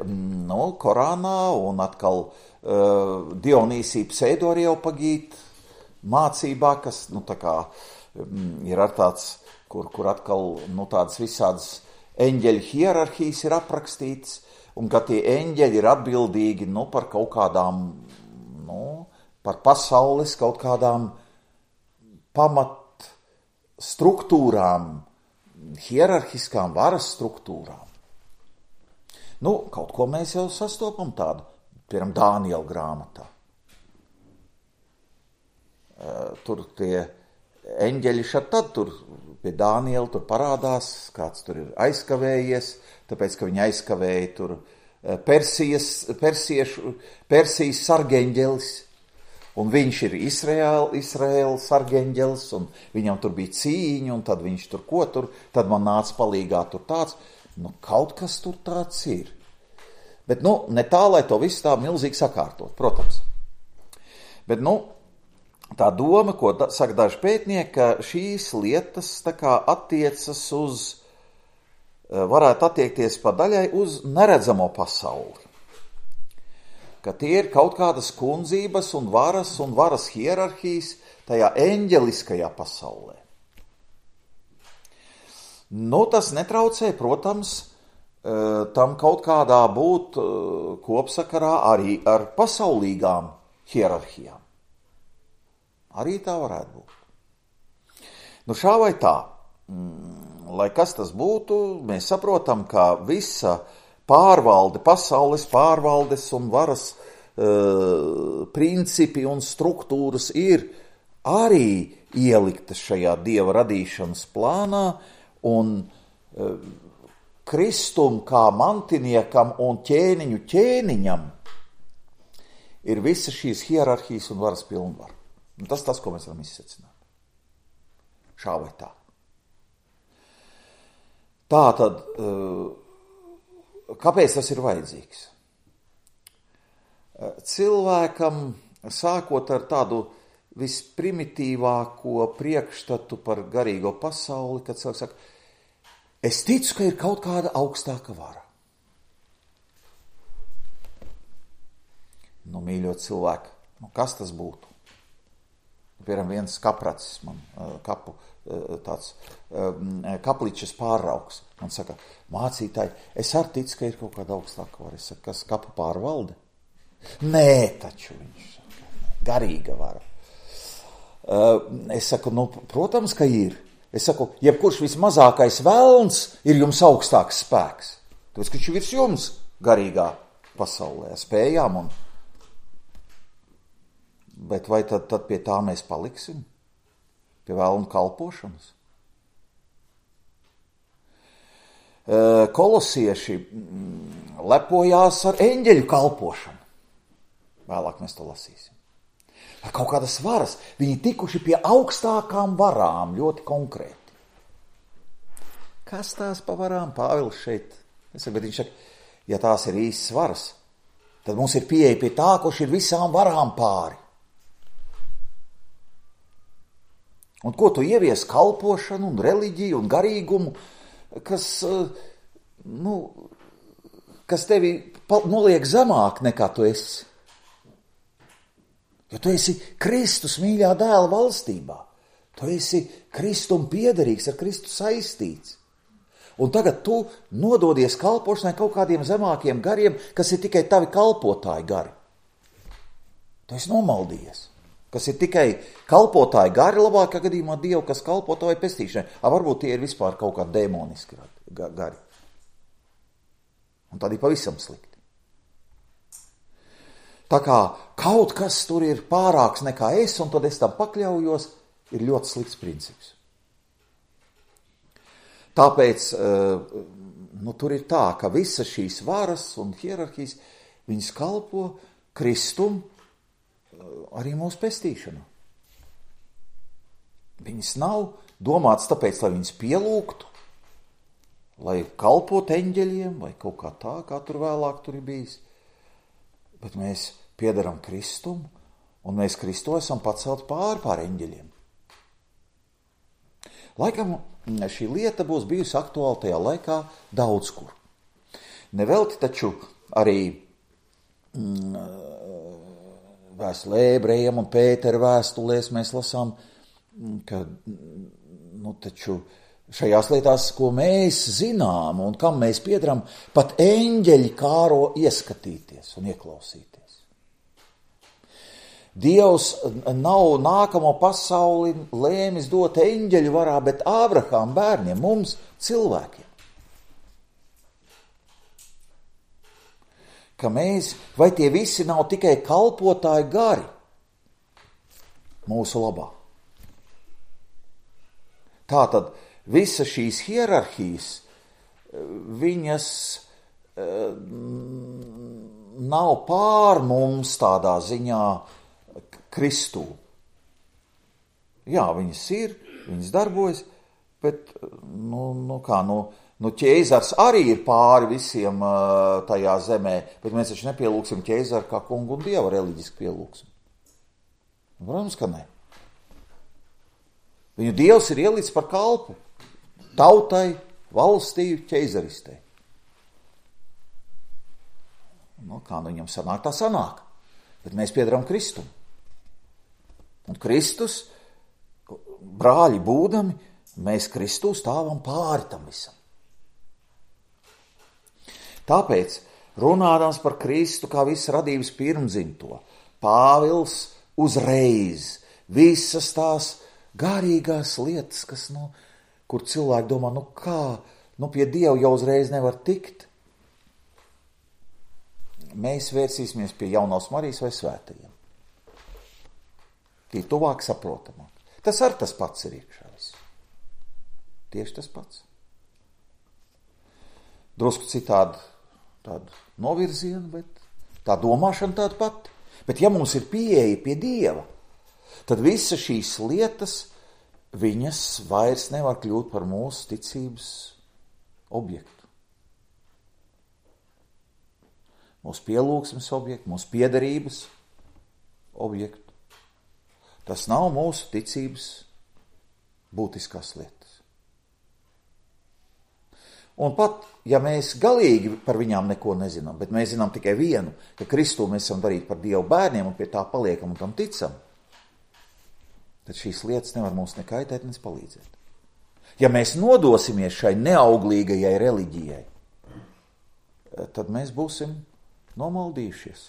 Korānā un atkal Dionīsija Pseidoreopagīta mācībā, kas, tā kā ir ar tāds, kur atkal, tādas visādas eņģeļu hierarhijas ir aprakstītas, un ka tie eņģeļi ir atbildīgi, par kaut kādām, par pasaules kaut kādām pamat struktūrām, hierarhiskām varas struktūrām. Kaut ko mēs jau sastopam tādu, piemēram, Dāniela grāmatā. Tur tie eņģeļi tad tur pie Dāniela tur parādās, kāds tur ir aizkavējies, tāpēc, ka viņi aizkavēja tur Persijas sargeņģelis, un viņš ir Izraēlas sargeņģelis, un viņam tur bija cīņa, un tad viņš tur tad man nāca palīgā tur tāds. Kaut kas tur tāds ir. Bet, ne tā, lai to visu tā milzīgi sakārtot, protams. Bet, tā doma, ko saka daži pētnieki, ka šīs lietas tā kā attiecas varētu attiekties pa daļai uz neredzamo pasauli. Ka tie ir kaut kādas kundzības un varas hierarhijas tajā eņģeliskajā pasaulē. Tas netraucē, protams, tam kaut kādā būt kopsakarā arī ar pasaulīgām hierarhijām. Arī tā varētu būt. Šā vai tā, lai kas tas būtu, mēs saprotam, ka visa pārvalde, pasaules pārvaldes un varas principi un struktūras ir arī ieliktas šajā Dieva radīšanas plānā, un Kristum kā mantiniekam un ķēniņu ķēniņam ir visas šīs hierarhijas un varas pilnvaru. Tas, ko mēs varam izsecināt. Šā vai tā. Tā tad, kāpēc tas ir vajadzīgs? Cilvēkam, sākot ar tādu visprimitīvāko priekšstatu par garīgo pasauli, kad cilvēks saka, es ticu, ka ir kaut kāda augstāka vara. Mīļo cilvēku, kas tas būtu? Piemēram, viens kapracis man kapličas pārraugs. Man saka, mācītāji, es arī ticu, ka ir kaut kāda augstāka vara. Es saku, kas kapu pārvalde? Nē, taču viņš saka, garīga vara. Es saku, protams, ka ir. Es saku, jebkurš vismazākais velns ir jums augstāks spēks. Tāpēc, ka viņš ir virs jums garīgā pasaulē, spējām. Bet vai tad pie tā mēs paliksim? Pie velna kalpošanas? Kolosieši lepojās ar eņģeļu kalpošanu. Vēlāk mēs to lasīsim. Ar kaut kādas varas. Viņi tikuši pie augstākām varām, ļoti konkrēti. Kas tās pa varām? Pāvils šeit. Bet viņš saka, ja tās ir īstas varas, tad mums ir pieeja pie tā, kurš ir visām varām pāri. Un ko tu ievies kalpošanu un reliģiju un garīgumu, kas tevi noliek zemāk nekā tu esi? Jo tu esi Kristus mīļā dēla valstībā. Tu esi Kristum piederīgs, ar Kristu saistīts. Un tagad tu nododies kalpošanai kaut kādiem zemākiem gariem, kas ir tikai tavi kalpotāji gari. Tu esi nomaldījies. Kas ir tikai kalpotāji gari, labākā gadījumā Dievu, kas kalpo tavai pestīšanai. Varbūt tie ir vispār kaut kā dēmoniski gari. Un tad ir pavisam slikti. Tā kā kaut kas tur ir pārāks nekā es, un tad es tam pakļaujos, ir ļoti slikts princips. Tāpēc tur ir tā, ka visas šīs varas un hierarhijas, viņas kalpo Kristum arī mūsu pestīšanā. Viņas nav domāts tāpēc, lai viņas pielūgtu, lai kalpot eņģeļiem vai kaut kā tā, kā tur vēlāk tur ir bijis. Bet mēs piederam Kristum, un mēs Kristu esam pacelt pār eņģeļiem. Laikam šī lieta būs bijusi aktuāla tajā laikā daudz kur. Nevelti taču arī vēstulē ebrejiem un Pētera vēstulēs mēs lasām, ka taču šajās lietās, ko mēs zinām un kam mēs piedaram, pat eņģeļi kāro ieskatīties un ieklausīties. Dievs nav nākamo pasauli lēmis dot eņģeļu varā, bet Ābrahām bērniem, mums, cilvēkiem. Ka mēs, vai tie visi nav tikai kalpotāji gari mūsu labā? Tātad visa šīs hierarhijas, viņas nav pār mums tādā ziņā Kristū. Jā, viņas ir, viņas darbojas, bet, ķēzars arī ir pāri visiem tajā zemē, bet mēs taču nepielūksim ķēzaru kā kungu un dievu reliģiski pielūksim. Protams, ka ne. Viņu dievs ir ielicis par kalpu tautai, valstī, ķēzaristei. Kā viņam sanāk, tā sanāk. Bet mēs piedaram Kristum. Un Kristus, brāļi būdami, mēs Kristū stāvam pāri tam visam. Tāpēc, runādams par Kristu kā visu radības pirmdzimto, Pāvils uzreiz visas tās garīgās lietas, kas, kur cilvēki domā, pie Dieva jau uzreiz nevar tikt. Mēs vērsīsimies pie jaunās Marijas vai svētajiem. Tie tuvāk saprotamāk. Tas ar tas pats ir iekšā viss. Tieši tas pats. Drusku citādi tādu novirzienu, bet tā domāšana tāda pati. Bet ja mums ir pieeja pie Dieva, tad visas šīs lietas, viņas vairs nevar kļūt par mūsu ticības objektu. Mūsu pielūgsmes objektu, mūsu piederības objektu. Tas nav mūsu ticības būtiskās lietas. Un pat, ja mēs galīgi par viņām neko nezinām, bet mēs zinām tikai vienu, ka Kristū mēs esam darīti par Dievu bērniem un pie tā paliekam un tam ticam, tad šīs lietas nevar mums nekaitēt, ne palīdzēt. Ja mēs nodosimies šai neauglīgajai reliģijai, tad mēs būsim nomaldījušies.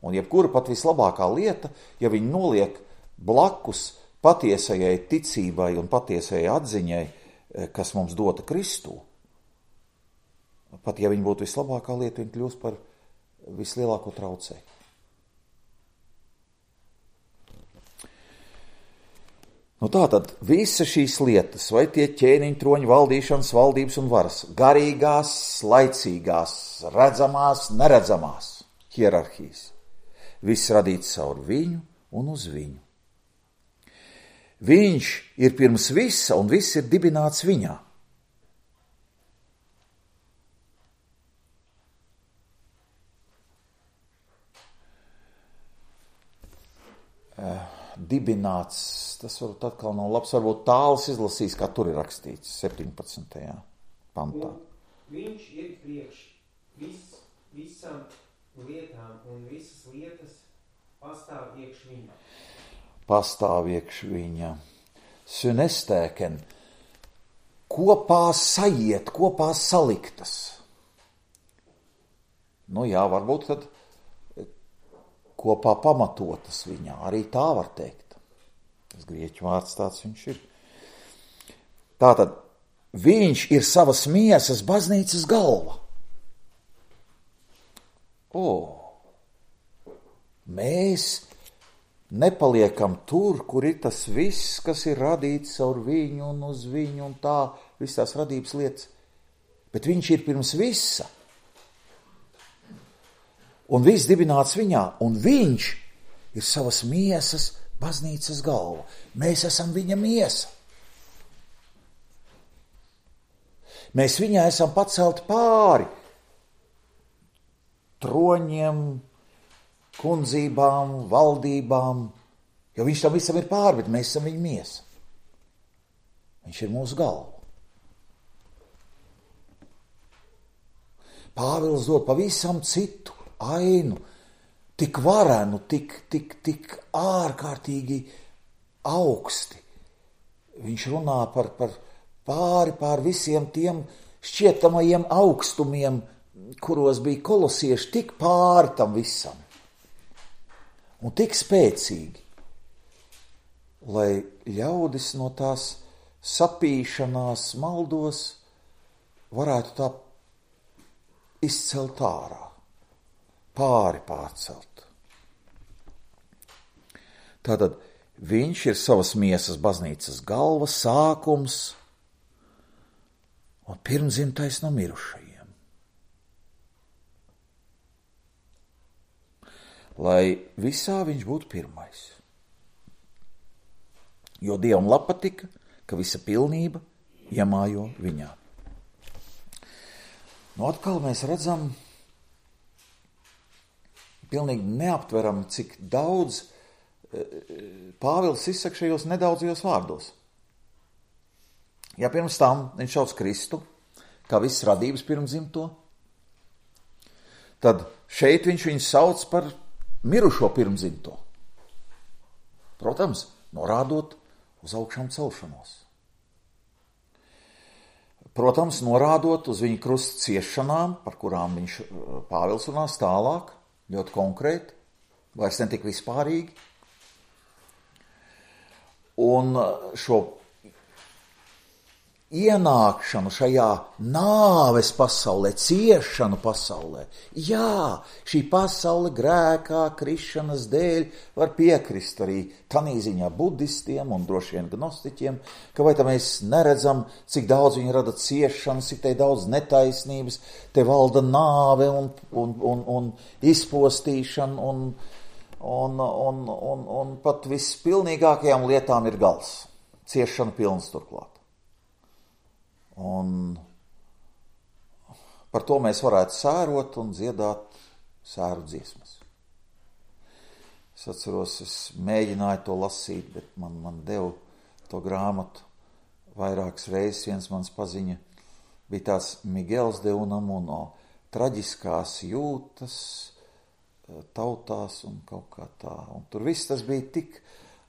Un jebkura pat vislabākā lieta, ja viņi noliek blakus patiesajai ticībai un patiesajai atziņai, kas mums dota Kristū, pat ja viņi būtu vislabākā lieta, viņi kļūst par vislielāko traucēju. Tātad visa šīs lietas, vai tie ķēniņi, troņi, valdīšanas, valdības un varas, garīgās, laicīgās, redzamās, neredzamās hierarhijas, viss radīts caur viņu un uz viņu. Viņš ir pirms visa un viss ir dibināts viņā. Dibināts, tas varbūt atkal nav labs, varbūt tāls izlasīs, kā tur ir rakstīts 17. pantā. Un viņš ir priekš visam lietām, un visas lietas pastāv iekš viņa. Pastāv iekš viņa. Synestēken, kopā sajiet, kopā saliktas. Jā, varbūt tad kopā pamatotas viņā, arī tā var teikt. Tas grieķu vārds tāds viņš ir. Tātad, viņš ir savas miesas baznīcas galva. Mēs nepaliekam tur, kur ir tas viss, kas ir radīts caur viņu un uz viņu un tā, viss tās radības lietas. Bet viņš ir pirms visa. Un viss dibināts viņā, un viņš ir savas miesas baznīcas galva. Mēs esam viņa miesa. Mēs viņā esam pacelti pāri troņiem, kundzībām, valdībām, jo viņš tam visam ir pāri, bet mēs esam viņa miesa. Viņš ir mūsu galva. Pāvils dod pavisam citu ainu, tik varenu, tik ārkārtīgi augsti. Viņš runā par pāri visiem tiem šķietamajiem augstumiem, kuros bija kolosieši, tik pāri tam visam. Un tik spēcīgi, lai ļaudis no tās sapīšanās maldos varētu tā izcelt ārā, pārcelt. Tātad viņš ir savas miesas baznīcas galva, sākums un pirmdzimtais no mirušajiem. Lai visā viņš būtu pirmais. Jo Dievam patika, ka visa pilnība iemājo viņā. Nu, atkal mēs redzam, pilnīgi neaptveram, cik daudz Pāvils izsaka šajos nedaudzajos vārdos. Ja pirms tam viņš sauc Kristu, kā viss radības pirmdzimto, tad šeit viņš viņu sauc par mirušo pirmdzimto. Protams, norādot uz augšām celšanos. Protams, norādot uz viņa krusta ciešanām, par kurām Pāvils runās tālāk, ļoti konkrēti, vairs netik vispārīgi. Un šo ienākšanu šajā nāves pasaulē, ciešanu pasaulē, jā, šī pasaule grēkā, krišanas dēļ var piekrist arī tanī ziņā budistiem un droši vien gnostiķiem, ka vai tā mēs neredzam, cik daudz viņi rada ciešanas, cik te daudz netaisnības, te valda nāve un izpostīšana un pat vispilnīgākajām lietām ir gals. Ciešana pilns turklāt. Un par to mēs varētu sērot un dziedāt sēru dziesmas. Es atceros, es mēģināju to lasīt, bet man deva to grāmatu vairākas reizes. Viens mans paziņa bija tāds Migels de Unamuno, traģiskās jūtas tautās un kaut kā tā. Un tur viss tas bija tik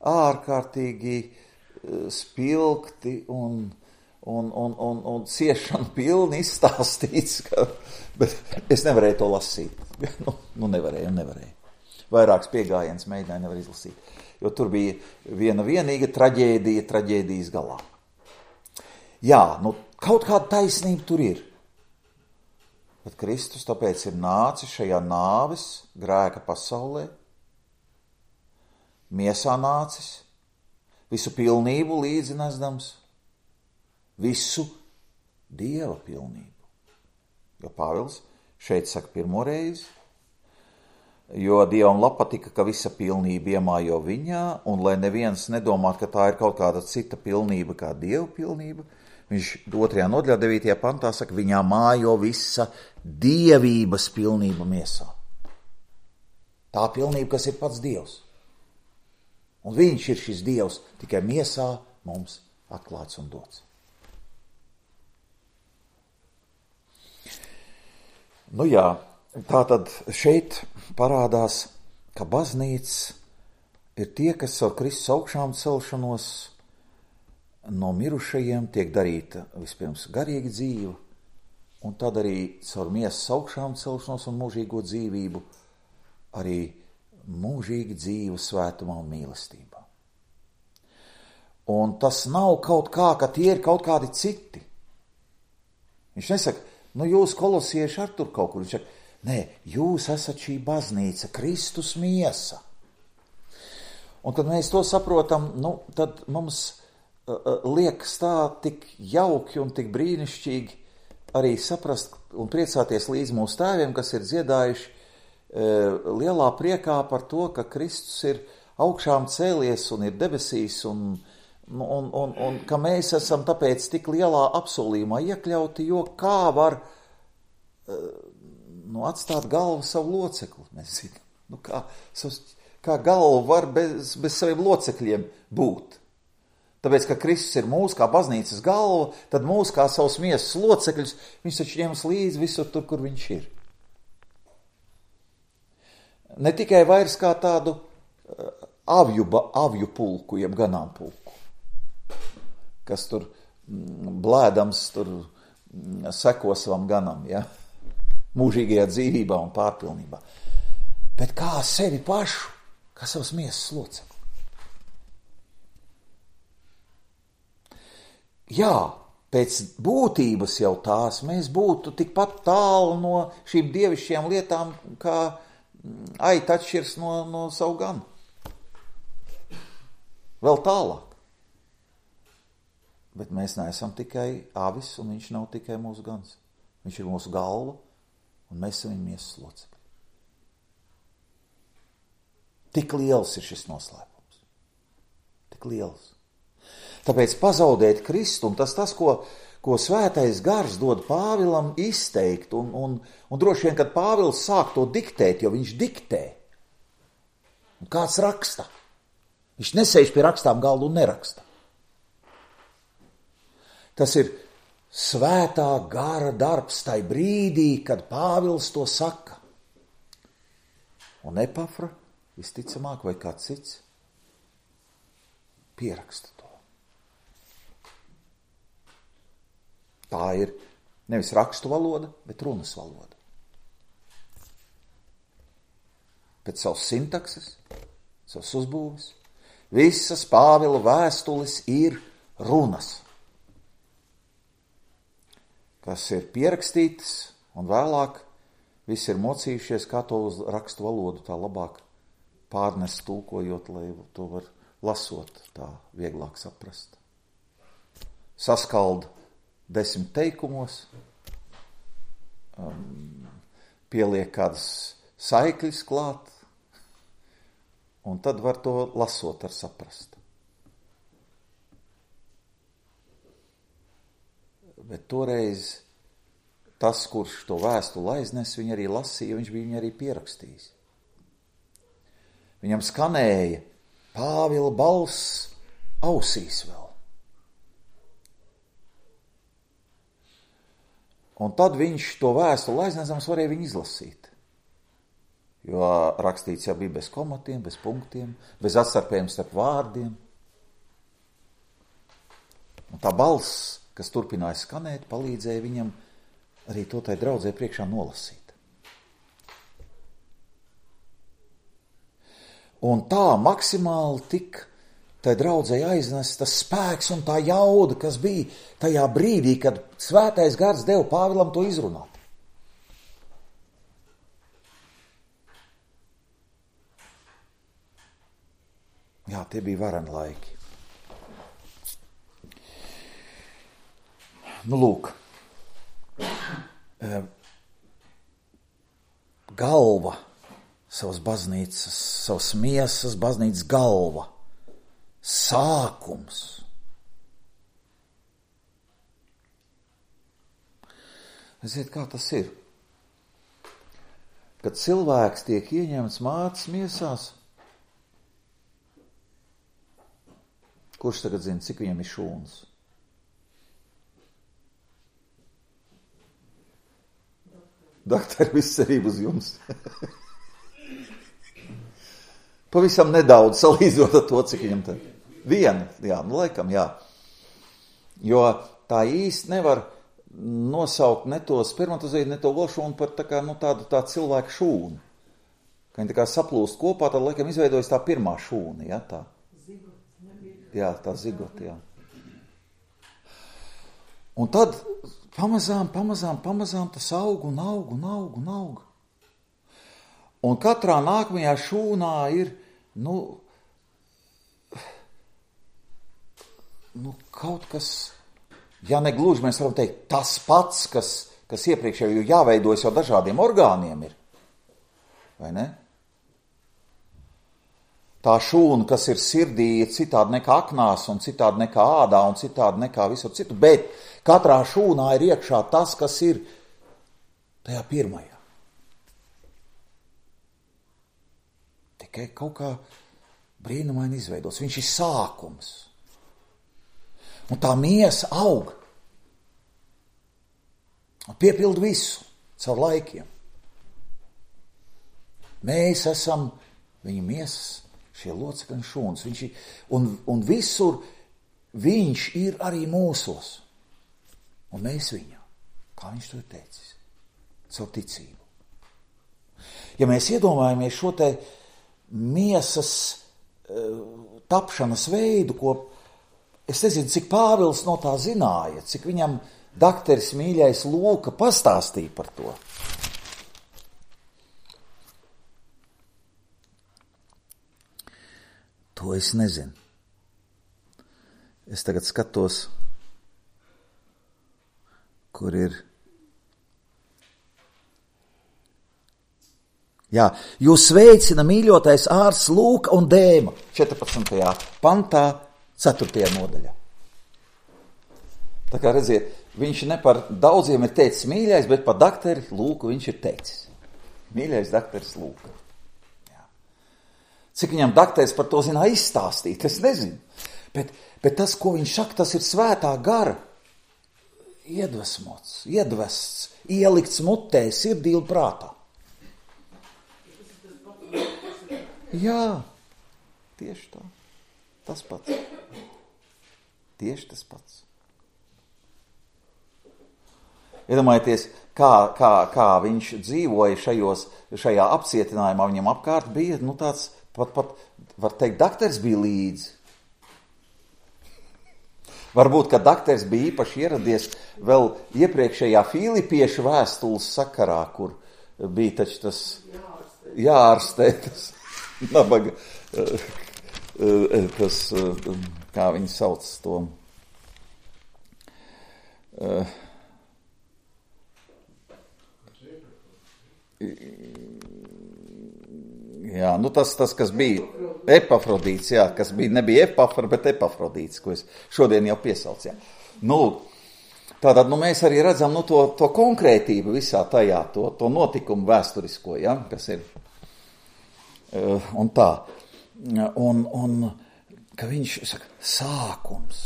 ārkārtīgi spilgti un ciešanu pilni izstāstīts, bet es nevarēju to lasīt. Nevarēju. Vairākas piegājiens mēģināju nevar izlasīt, jo tur bija viena vienīga traģēdija traģēdijas galā. Jā, kaut kāda taisnība tur ir. Bet Kristus tāpēc ir nācis šajā nāves grēka pasaulē, miesā nācis, visu pilnību līdzi nesdams, visu Dieva pilnību. Jo Pāvils šeit saka pirmo reizi, jo Dievam patika, ka visa pilnība iemājo viņā, un lai neviens nedomātu, ka tā ir kaut kāda cita pilnība kā Dieva pilnība, viņš 2. nodaļā 9. pantā saka, viņā mājo visa dievības pilnība miesā. Tā pilnība, kas ir pats Dievs. Un viņš ir šis Dievs, tikai miesā mums atklāts un dots. Nu jā, tātad šeit parādās, ka baznīca ir tie, kas ar Kristus augšām celšanos no mirušajiem tiek darīta vispirms garīga dzīve, un tad arī caur miesas augšām celšanos un mūžīgo dzīvību arī mūžīga dzīve svētumā un mīlestībā. Un tas nav kaut kā, ka tie ir kaut kādi citi. Viņš nesaka, jūs kolosieši ar tur kaut kur. Viņš saka, nē, jūs esat šī baznīca, Kristus miesa. Un kad mēs to saprotam, tad mums liekas tā tik jauki un tik brīnišķīgi arī saprast un priecāties līdz mūsu tēviem, kas ir dziedājuši lielā priekā par to, ka Kristus ir augšām cēlies un ir debesīs un ka mēs esam tāpēc tik lielā apsolījumā iekļauti, jo kā var atstāt galvu savu locekli, mēs zinām, kā galva var bez saviem locekļiem būt. Tāpēc, ka Kristus ir mūsu kā baznīcas galva, tad mūsu kā savus miesas locekļus, viņš taču ņems līdzi visur tur, kur viņš ir. Ne tikai vairs kā tādu avju pulku, jeb ganāmpulku, kas tur blēdams tur seko savam ganam, ja? Mūžīgajā dzīvībā un pārpilnībā. Bet kā sevi pašu, kā savas miesas locekļu. Jā, pēc būtības jau tās mēs būtu tikpat tālu no šīm dievišķajām lietām, kā aita atšķirs no savu ganu. Vēl tālāk. Bet mēs neesam tikai avis, un viņš nav tikai mūsu gans. Viņš ir mūsu galva, un mēs esam viņa miesas locekļi. Tik liels ir šis noslēpums. Tik liels. Tāpēc pazaudēt Kristu, un tas, ko svētais gars dod Pāvilam izteikt, un droši vien, kad Pāvils sāk to diktēt, jo viņš diktē, un kāds raksta. Viņš nesēž pie rakstām galdu un neraksta. Tas ir svētā gara darbs tai brīdī, kad Pāvils to saka. Un Epafra, visticamāk, vai kāds cits, pieraksta to. Tā ir nevis rakstu valoda, bet runas valoda. Pēc savas sintakses, savas uzbūves, visas Pāvila vēstules ir runas, kas ir pierakstītas, un vēlāk visi ir mocījušies, kā to uz rakstu valodu tā labāk pārnest tulkojot, lai to var lasot tā vieglāk saprast. Saskalda 10 teikumos, pieliek kādas saikļas klāt, un tad var to lasot ar saprast. Bet toreiz tas, kurš to vēstuli aiznes, viņu arī lasīja, viņš bija viņu arī pierakstījis. Viņam skanēja Pāvila balss ausīs vēl. Un tad viņš to vēstuli aiznesams varēja viņu izlasīt. Jo rakstīts jau bija bez komatiem, bez punktiem, bez atstarpējuma starp vārdiem. Un tā balss, kas turpināja skanēt, palīdzēja viņam arī to tai draudzē priekšā nolasīt. Un tā maksimāli tik tai draudzei aiznes tas spēks un tā jauda, kas bija tajā brīdī, kad svētais gars deva Pāvilam to izrunāt. Jā, tie bija vareni laiki. Nu, lūk. Galva savas baznīcas, savas miesas, baznīcas galva. Sākums. Ziniet, kā tas ir? Kad cilvēks tiek ieņemts mātes miesās, kurš tagad zina, cik viņam ir šūnas? Doktori, viss cerība uz jums. Pavisam nedaudz salīdzinot ar to, cik viņam te. Viena, jā, nu laikam, jā. Jo tā īsti nevar nosaukt ne to spermatozīdu, ne to olšūnu par tā kā, nu, tādu tā cilvēku šūnu. Ka viņi tā kā saplūst kopā, tad laikam izveidojas tā pirmā šūna, jā, tā. Jā, tā zigota, jā. Un tad pamazām tas aug un aug. Un katrā nākamajā šūnā ir, kaut kas, ja ne gluži mēs varam teikt, tas pats, kas iepriekšējo jāveidojas jau dažādiem orgāniem ir. Vai ne? Tā šūna, kas ir sirdī, ir citādi nekā aknās, un citādi nekā ādā, un citādi nekā visur citu, bet katrā šūnā ir iekšā tas, kas ir tajā pirmajā. Tikai kaut kā brīnumaini izveidos. Viņš ir sākums. Un tā miesa aug. Un piepilda visu caur laikiem. Mēs esam viņa miesas, šie locekļi un šūnas. Un visur viņš ir arī mūsos. Un mēs viņā. Kā viņš to ir teicis? Caur ticību. Ja mēs iedomājamies šo te miesas tapšanas veidu, ko es nezinu, cik Pāvils no tā zināja, cik viņam dakteris mīļais Lūka pastāstīja par to. To es nezinu. Es tagad skatos, kur ir. Jā, jūs sveicina mīļotais ārsts Lūka un Dēma 14. pantā, 4. nodaļā. Tā kā redziet, viņš ne par daudziem ir teicis mīļais, bet par dakteri Lūku viņš ir teicis. Mīļais dakteris Lūka. Jā. Cik viņam dakteris par to zināja izstāstīt, es nezinu. Bet tas, ko viņš saka, tas ir svētā gara iedvesmots, iedvests, ielikts mutē, sirdī un prātā. Jā, tieši tā. Tas pats. Tieši tas pats. Iedomājieties, kā viņš dzīvoja šajā apcietinājumā, viņam apkārt bija, tāds, pat var teikt, dakteris bija līdzi. Varbūt, ka dakteris bija īpaši ieradies vēl iepriekšējā Filipiešu vēstules sakarā, kur bija taču tas jāārstē, tas nabaga, tas, kā viņi sauc to, jā, tas, kas bija Epafrodīts, jā, kas bija, nebija Epafra, bet Epafrodīts, ko es šodien jau piesaucu, jā. Tātad, mēs arī redzam, to konkrētību visā tajā, to notikumu vēsturisko, jā, kas ir, un tā, un ka viņš saka, sākums,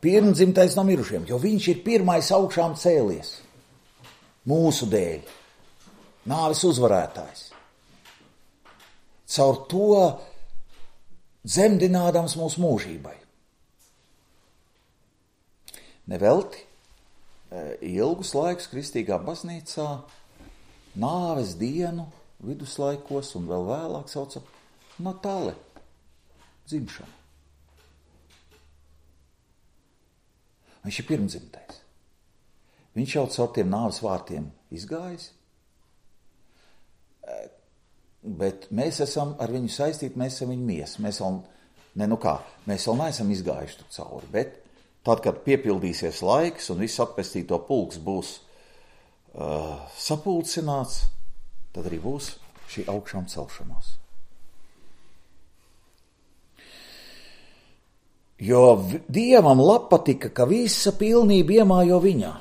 pirmdzimtais no mirušiem, jo viņš ir pirmais augšām cēlies, mūsu dēļ, nāves uzvarētājs. Caur to dzemdinādams mūsu mūžībai. Nevelti ilgus laikus kristīgā baznīcā nāves dienu viduslaikos un vēl vēlāk sauca Natale, dzimšana. Viņš ir pirmdzimtais. Viņš jau caur tiem nāves vārtiem izgājis, bet mēs esam ar viņu saistīti, mēs esam viņa miesa. Mēs vēl neesam izgājuši tur cauri, bet tad, kad piepildīsies laiks un viss atpestīto pulks būs sapulcināts, tad arī būs šī augšām celšanās. Jo Dievam patika, ka visa pilnība iemājo viņā.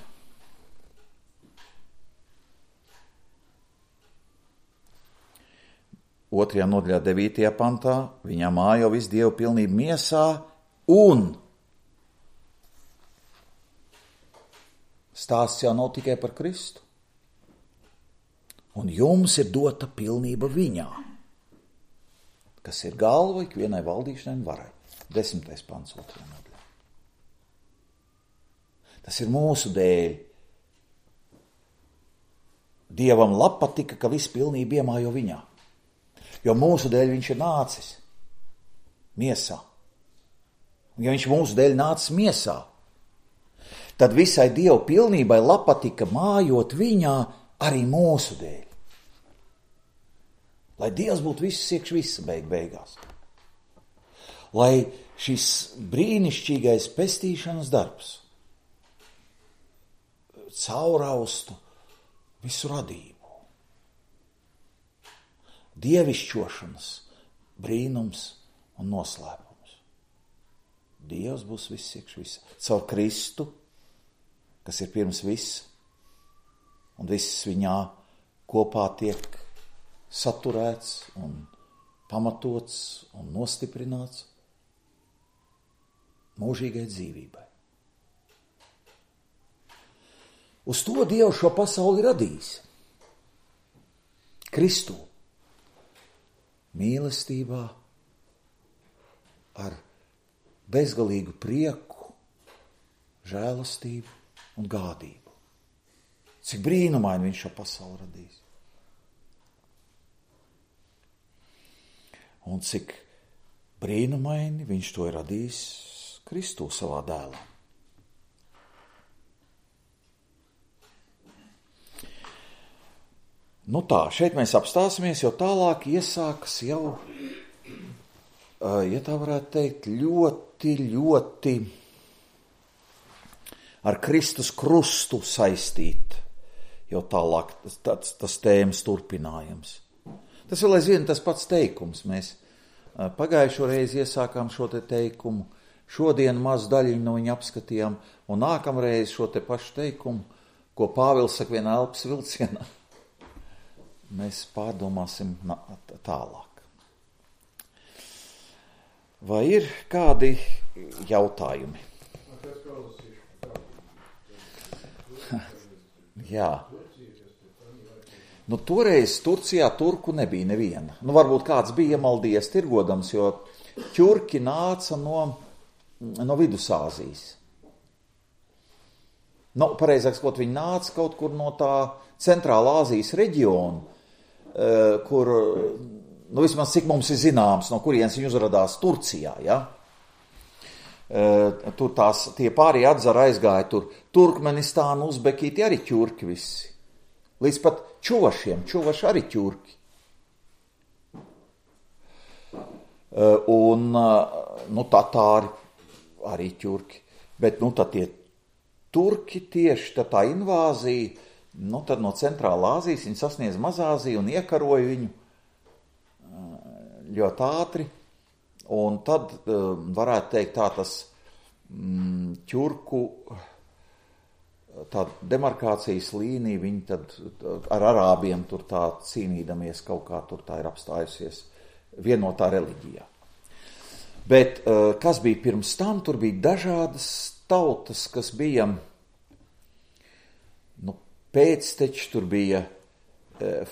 Otrajā nodaļā 9. pantā viņā mājo visu Dievu pilnību miesā un stāsts jau nav tikai par Kristu. Un jums ir dota pilnība viņā, kas ir galva ikvienai valdīšanai un varai. 10. pants 2. nodaļā. Tas ir mūsu dēļ. Dievam patika, ka viss pilnība iemājo viņā. Jo mūsu dēļ viņš ir nācis miesā. Un ja viņš mūsu dēļ nācis miesā, tad visai Dieva pilnībai patika mājot viņā arī mūsu dēļ. Lai Dievs būtu viss iekš visa beigās. Lai šis brīnišķīgais pestīšanas darbs cauraustu visu radību. Dievišķošanas brīnums un noslēpums. Dievs būs viss iekš visa. Caur Kristu, kas ir pirms viss, un viss viņā kopā tiek saturēts un pamatots un nostiprināts. mūžīgai dzīvībai. Uz to Dievs šo pasauli radījis. Kristū, mīlestībā, ar bezgalīgu prieku, žēlastību un gādību. Cik brīnumaini viņš šo pasauli radījis. Un cik brīnumaini viņš to ir radījis Kristū savā dēlā. Nu tā, šeit mēs apstāsimies, jo tālāk iesākas jau, ja tā varētu teikt, ļoti ar Kristus krustu saistīt, jau tālāk tas tēmas turpinājums. Tas vēl aizvien tas pats teikums. Mēs pagājušo reizi iesākām šo te teikumu, šodien mazu daļiņu no viņa apskatījām, un nākamreiz šo te pašu teikumu, ko Pāvils saka vienā elpas vilcienā, mēs pārdomāsim tālāk. Vai ir kādi jautājumi? Jā. Nu, toreiz Turcijā turku nebija neviena. Nu, varbūt kāds bija iemaldies tirgodams, jo ķurki nāca no Vidusāzijas. Nu, pareizāk sakot, viņi nāca kaut kur no tā Centrālā Āzijas reģiona, kur, nu, vismaz cik mums ir zināms, no kurienes viņi uzradās Turcijā, ja? Tur tie pārējie atzara aizgāja tur Turkmenistānu, Uzbekīti, arī ķurki visi. Līdz pat čuvaši arī ķurki. Un, nu, tatāri arī ķurki. Bet, nu, tad tie turki tieši tā invāzija, nu, tad no Centrālā Āzijas viņi sasniedz Mazāziju un iekaroja viņu ļoti ātri. Un tad varētu teikt tā tas ķurku tā demarkācijas līnija, viņi tad ar arābiem tur tā cīnīdamies kaut kā tur tā ir apstājusies vienotā reliģijā. Bet kas bija pirms tam, tur bija dažādas tautas, kas bija, nu, pēcteči, tur bija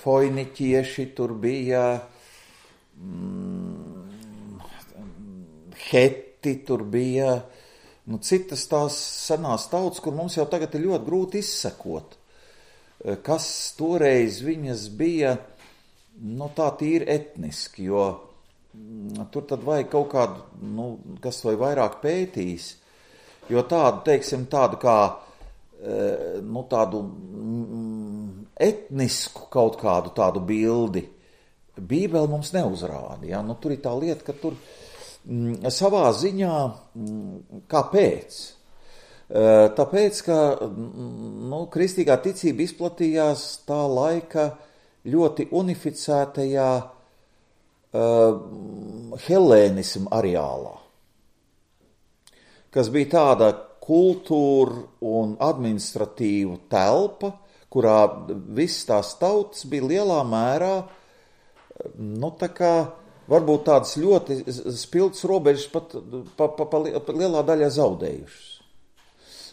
foiniķieši, tur bija heti, tur bija citas tās senās tautas, kur mums jau tagad ir ļoti grūti izsekot, kas toreiz viņas bija, nu, tā tīri etniski, jo tur tad vajag kaut kādu, nu, kas to ir vairāk pētījis, jo tādu, teiksim, tādu kā, nu, tādu etnisku kaut kādu tādu bildi Bībele mums neuzrāda, ja? Nu, tur ir tā lieta, ka tur savā ziņā, kāpēc? Tāpēc, ka, nu, kristīgā ticība izplatījās tā laika ļoti unificētajā helēnismu areālā, kas bija tāda kultūra un administratīva telpa, kurā visas tās tautas bija lielā mērā, nu, tā kā varbūt tādas ļoti spilgtas robežas pa lielā daļā zaudējušas.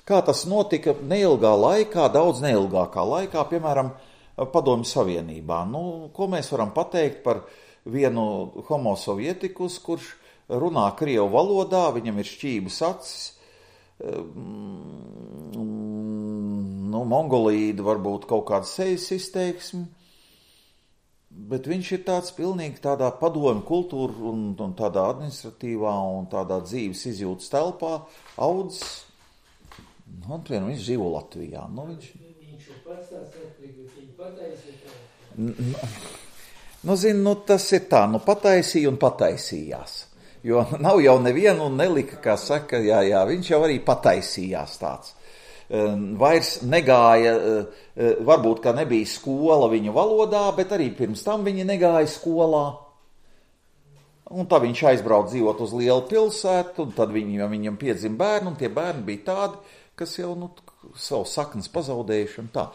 Kā tas notika neilgā laikā, daudz neilgākā laikā, piemēram, Padomju Savienībā. Nu, ko mēs varam pateikt par vienu homo sovietikus, kurš runā krievu valodā, viņam ir šķības acis, nu, mongolīda varbūt kaut kāda sejas izteiksme, bet viņš ir tāds pilnīgi tādā padomju kultūra un tādā administratīvā un tādā dzīves izjūtas telpā audzis. Nu, un viņš dzīvo Latvijā. Nu, viņš ir pats tās atplikot, viņi pataisīja. Nu, zinu, nu, tas ir tā, nu, pataisīja un pataisījās. Jo nav jau nevienu un nelika, kā saka, jā, viņš jau arī pataisījās tāds. Vairs negāja, varbūt, ka nebija skola viņa valodā, bet arī pirms tam viņa negāja skolā. Un tad viņš aizbrauc dzīvot uz lielu pilsētu, un tad viņam piedzima bērni, un tie bērni bija tādi, kas jau, nu, savu saknes pazaudējuši un tā.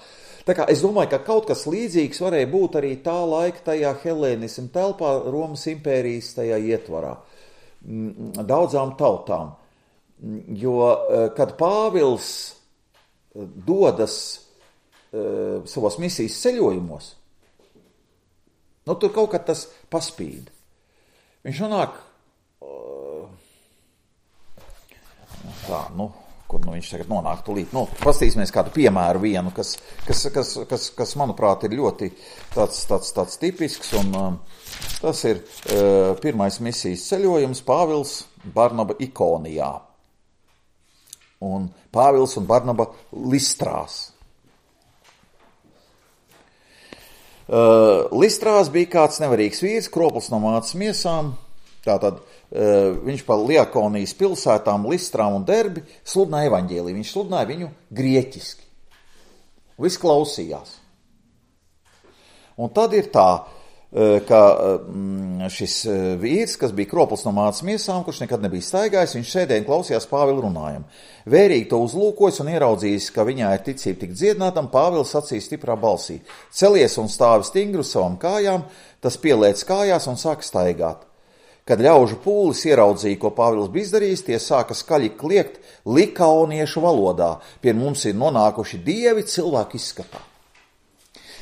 Tā kā es domāju, ka kaut kas līdzīgs varēja būt arī tā laika tajā helēnismu telpā, Romas impērijas tajā ietvarā. Daudzām tautām. Jo, kad Pāvils dodas savos misijas ceļojumos, tur kaut kad tas paspīd. Viņš nonāk kur viņš tagad nonāk tūlīt. Pastīsimies kādu piemēru vienu, kas manuprāt, ir ļoti tāds tipisks, un tas ir pirmais misijas ceļojums Pāvils Barnaba Ikonijā. Un Pāvils un Barnaba Listrās. Listrās bija kāds nevarīgs vīrs, kroplis no mātes miesām, tātad viņš pa Liakonijas pilsētām, Listrām un Derbi sludināja evaņģēliju. Viņš sludināja viņu grieķiski. Viss klausījās. Un tad ir tā, ka šis vīrs, kas bija kroplis no mātes miesām, kurš nekad nebija staigājis, viņš sēdēja un klausījās Pāvila runājumu. Vērīgi to uzlūkojis un ieraudzījis, ka viņā ir ticība tik dziedinātam, Pāvils sacīja stiprā balsī: celies un stāvi stingri uz savām kājām, tas pielēc kājās un sāk staigāt. Kad ļaužu pūlis ieraudzīja, ko Pāvils bija izdarījis, tie sāka skaļi kliegt likaoniešu valodā. Pie mums ir nonākuši dievi cilvēku izskatā.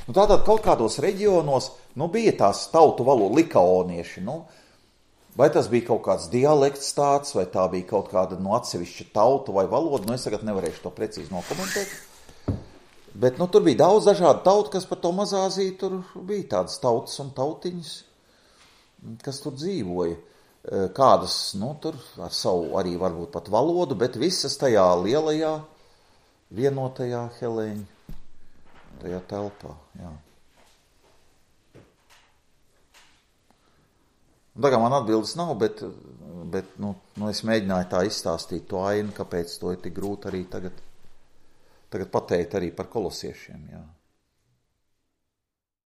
Tātad kaut kādos reģionos bija tās tautu valoda likaonieši. Vai tas bija kaut kāds dialekts tāds, vai tā bija kaut kāda atsevišķa tauta vai valoda, es tagad nevarēšu to precīzi nokomentēt. Bet tur bija daudz dažādu tautu, kas par to Mazāziju tur bija tādas tautas un tautiņas, kas tur dzīvoja. Kādas, tur ar savu arī varbūt pat valodu, bet visas tajā lielajā, vienotajā Helēņa, tajā telpā, jā. Tā kā man atbildes nav, bet es mēģināju tā izstāstīt to ainu, kāpēc to ir tik grūti arī tagad pateikt arī par kolosiešiem, jā.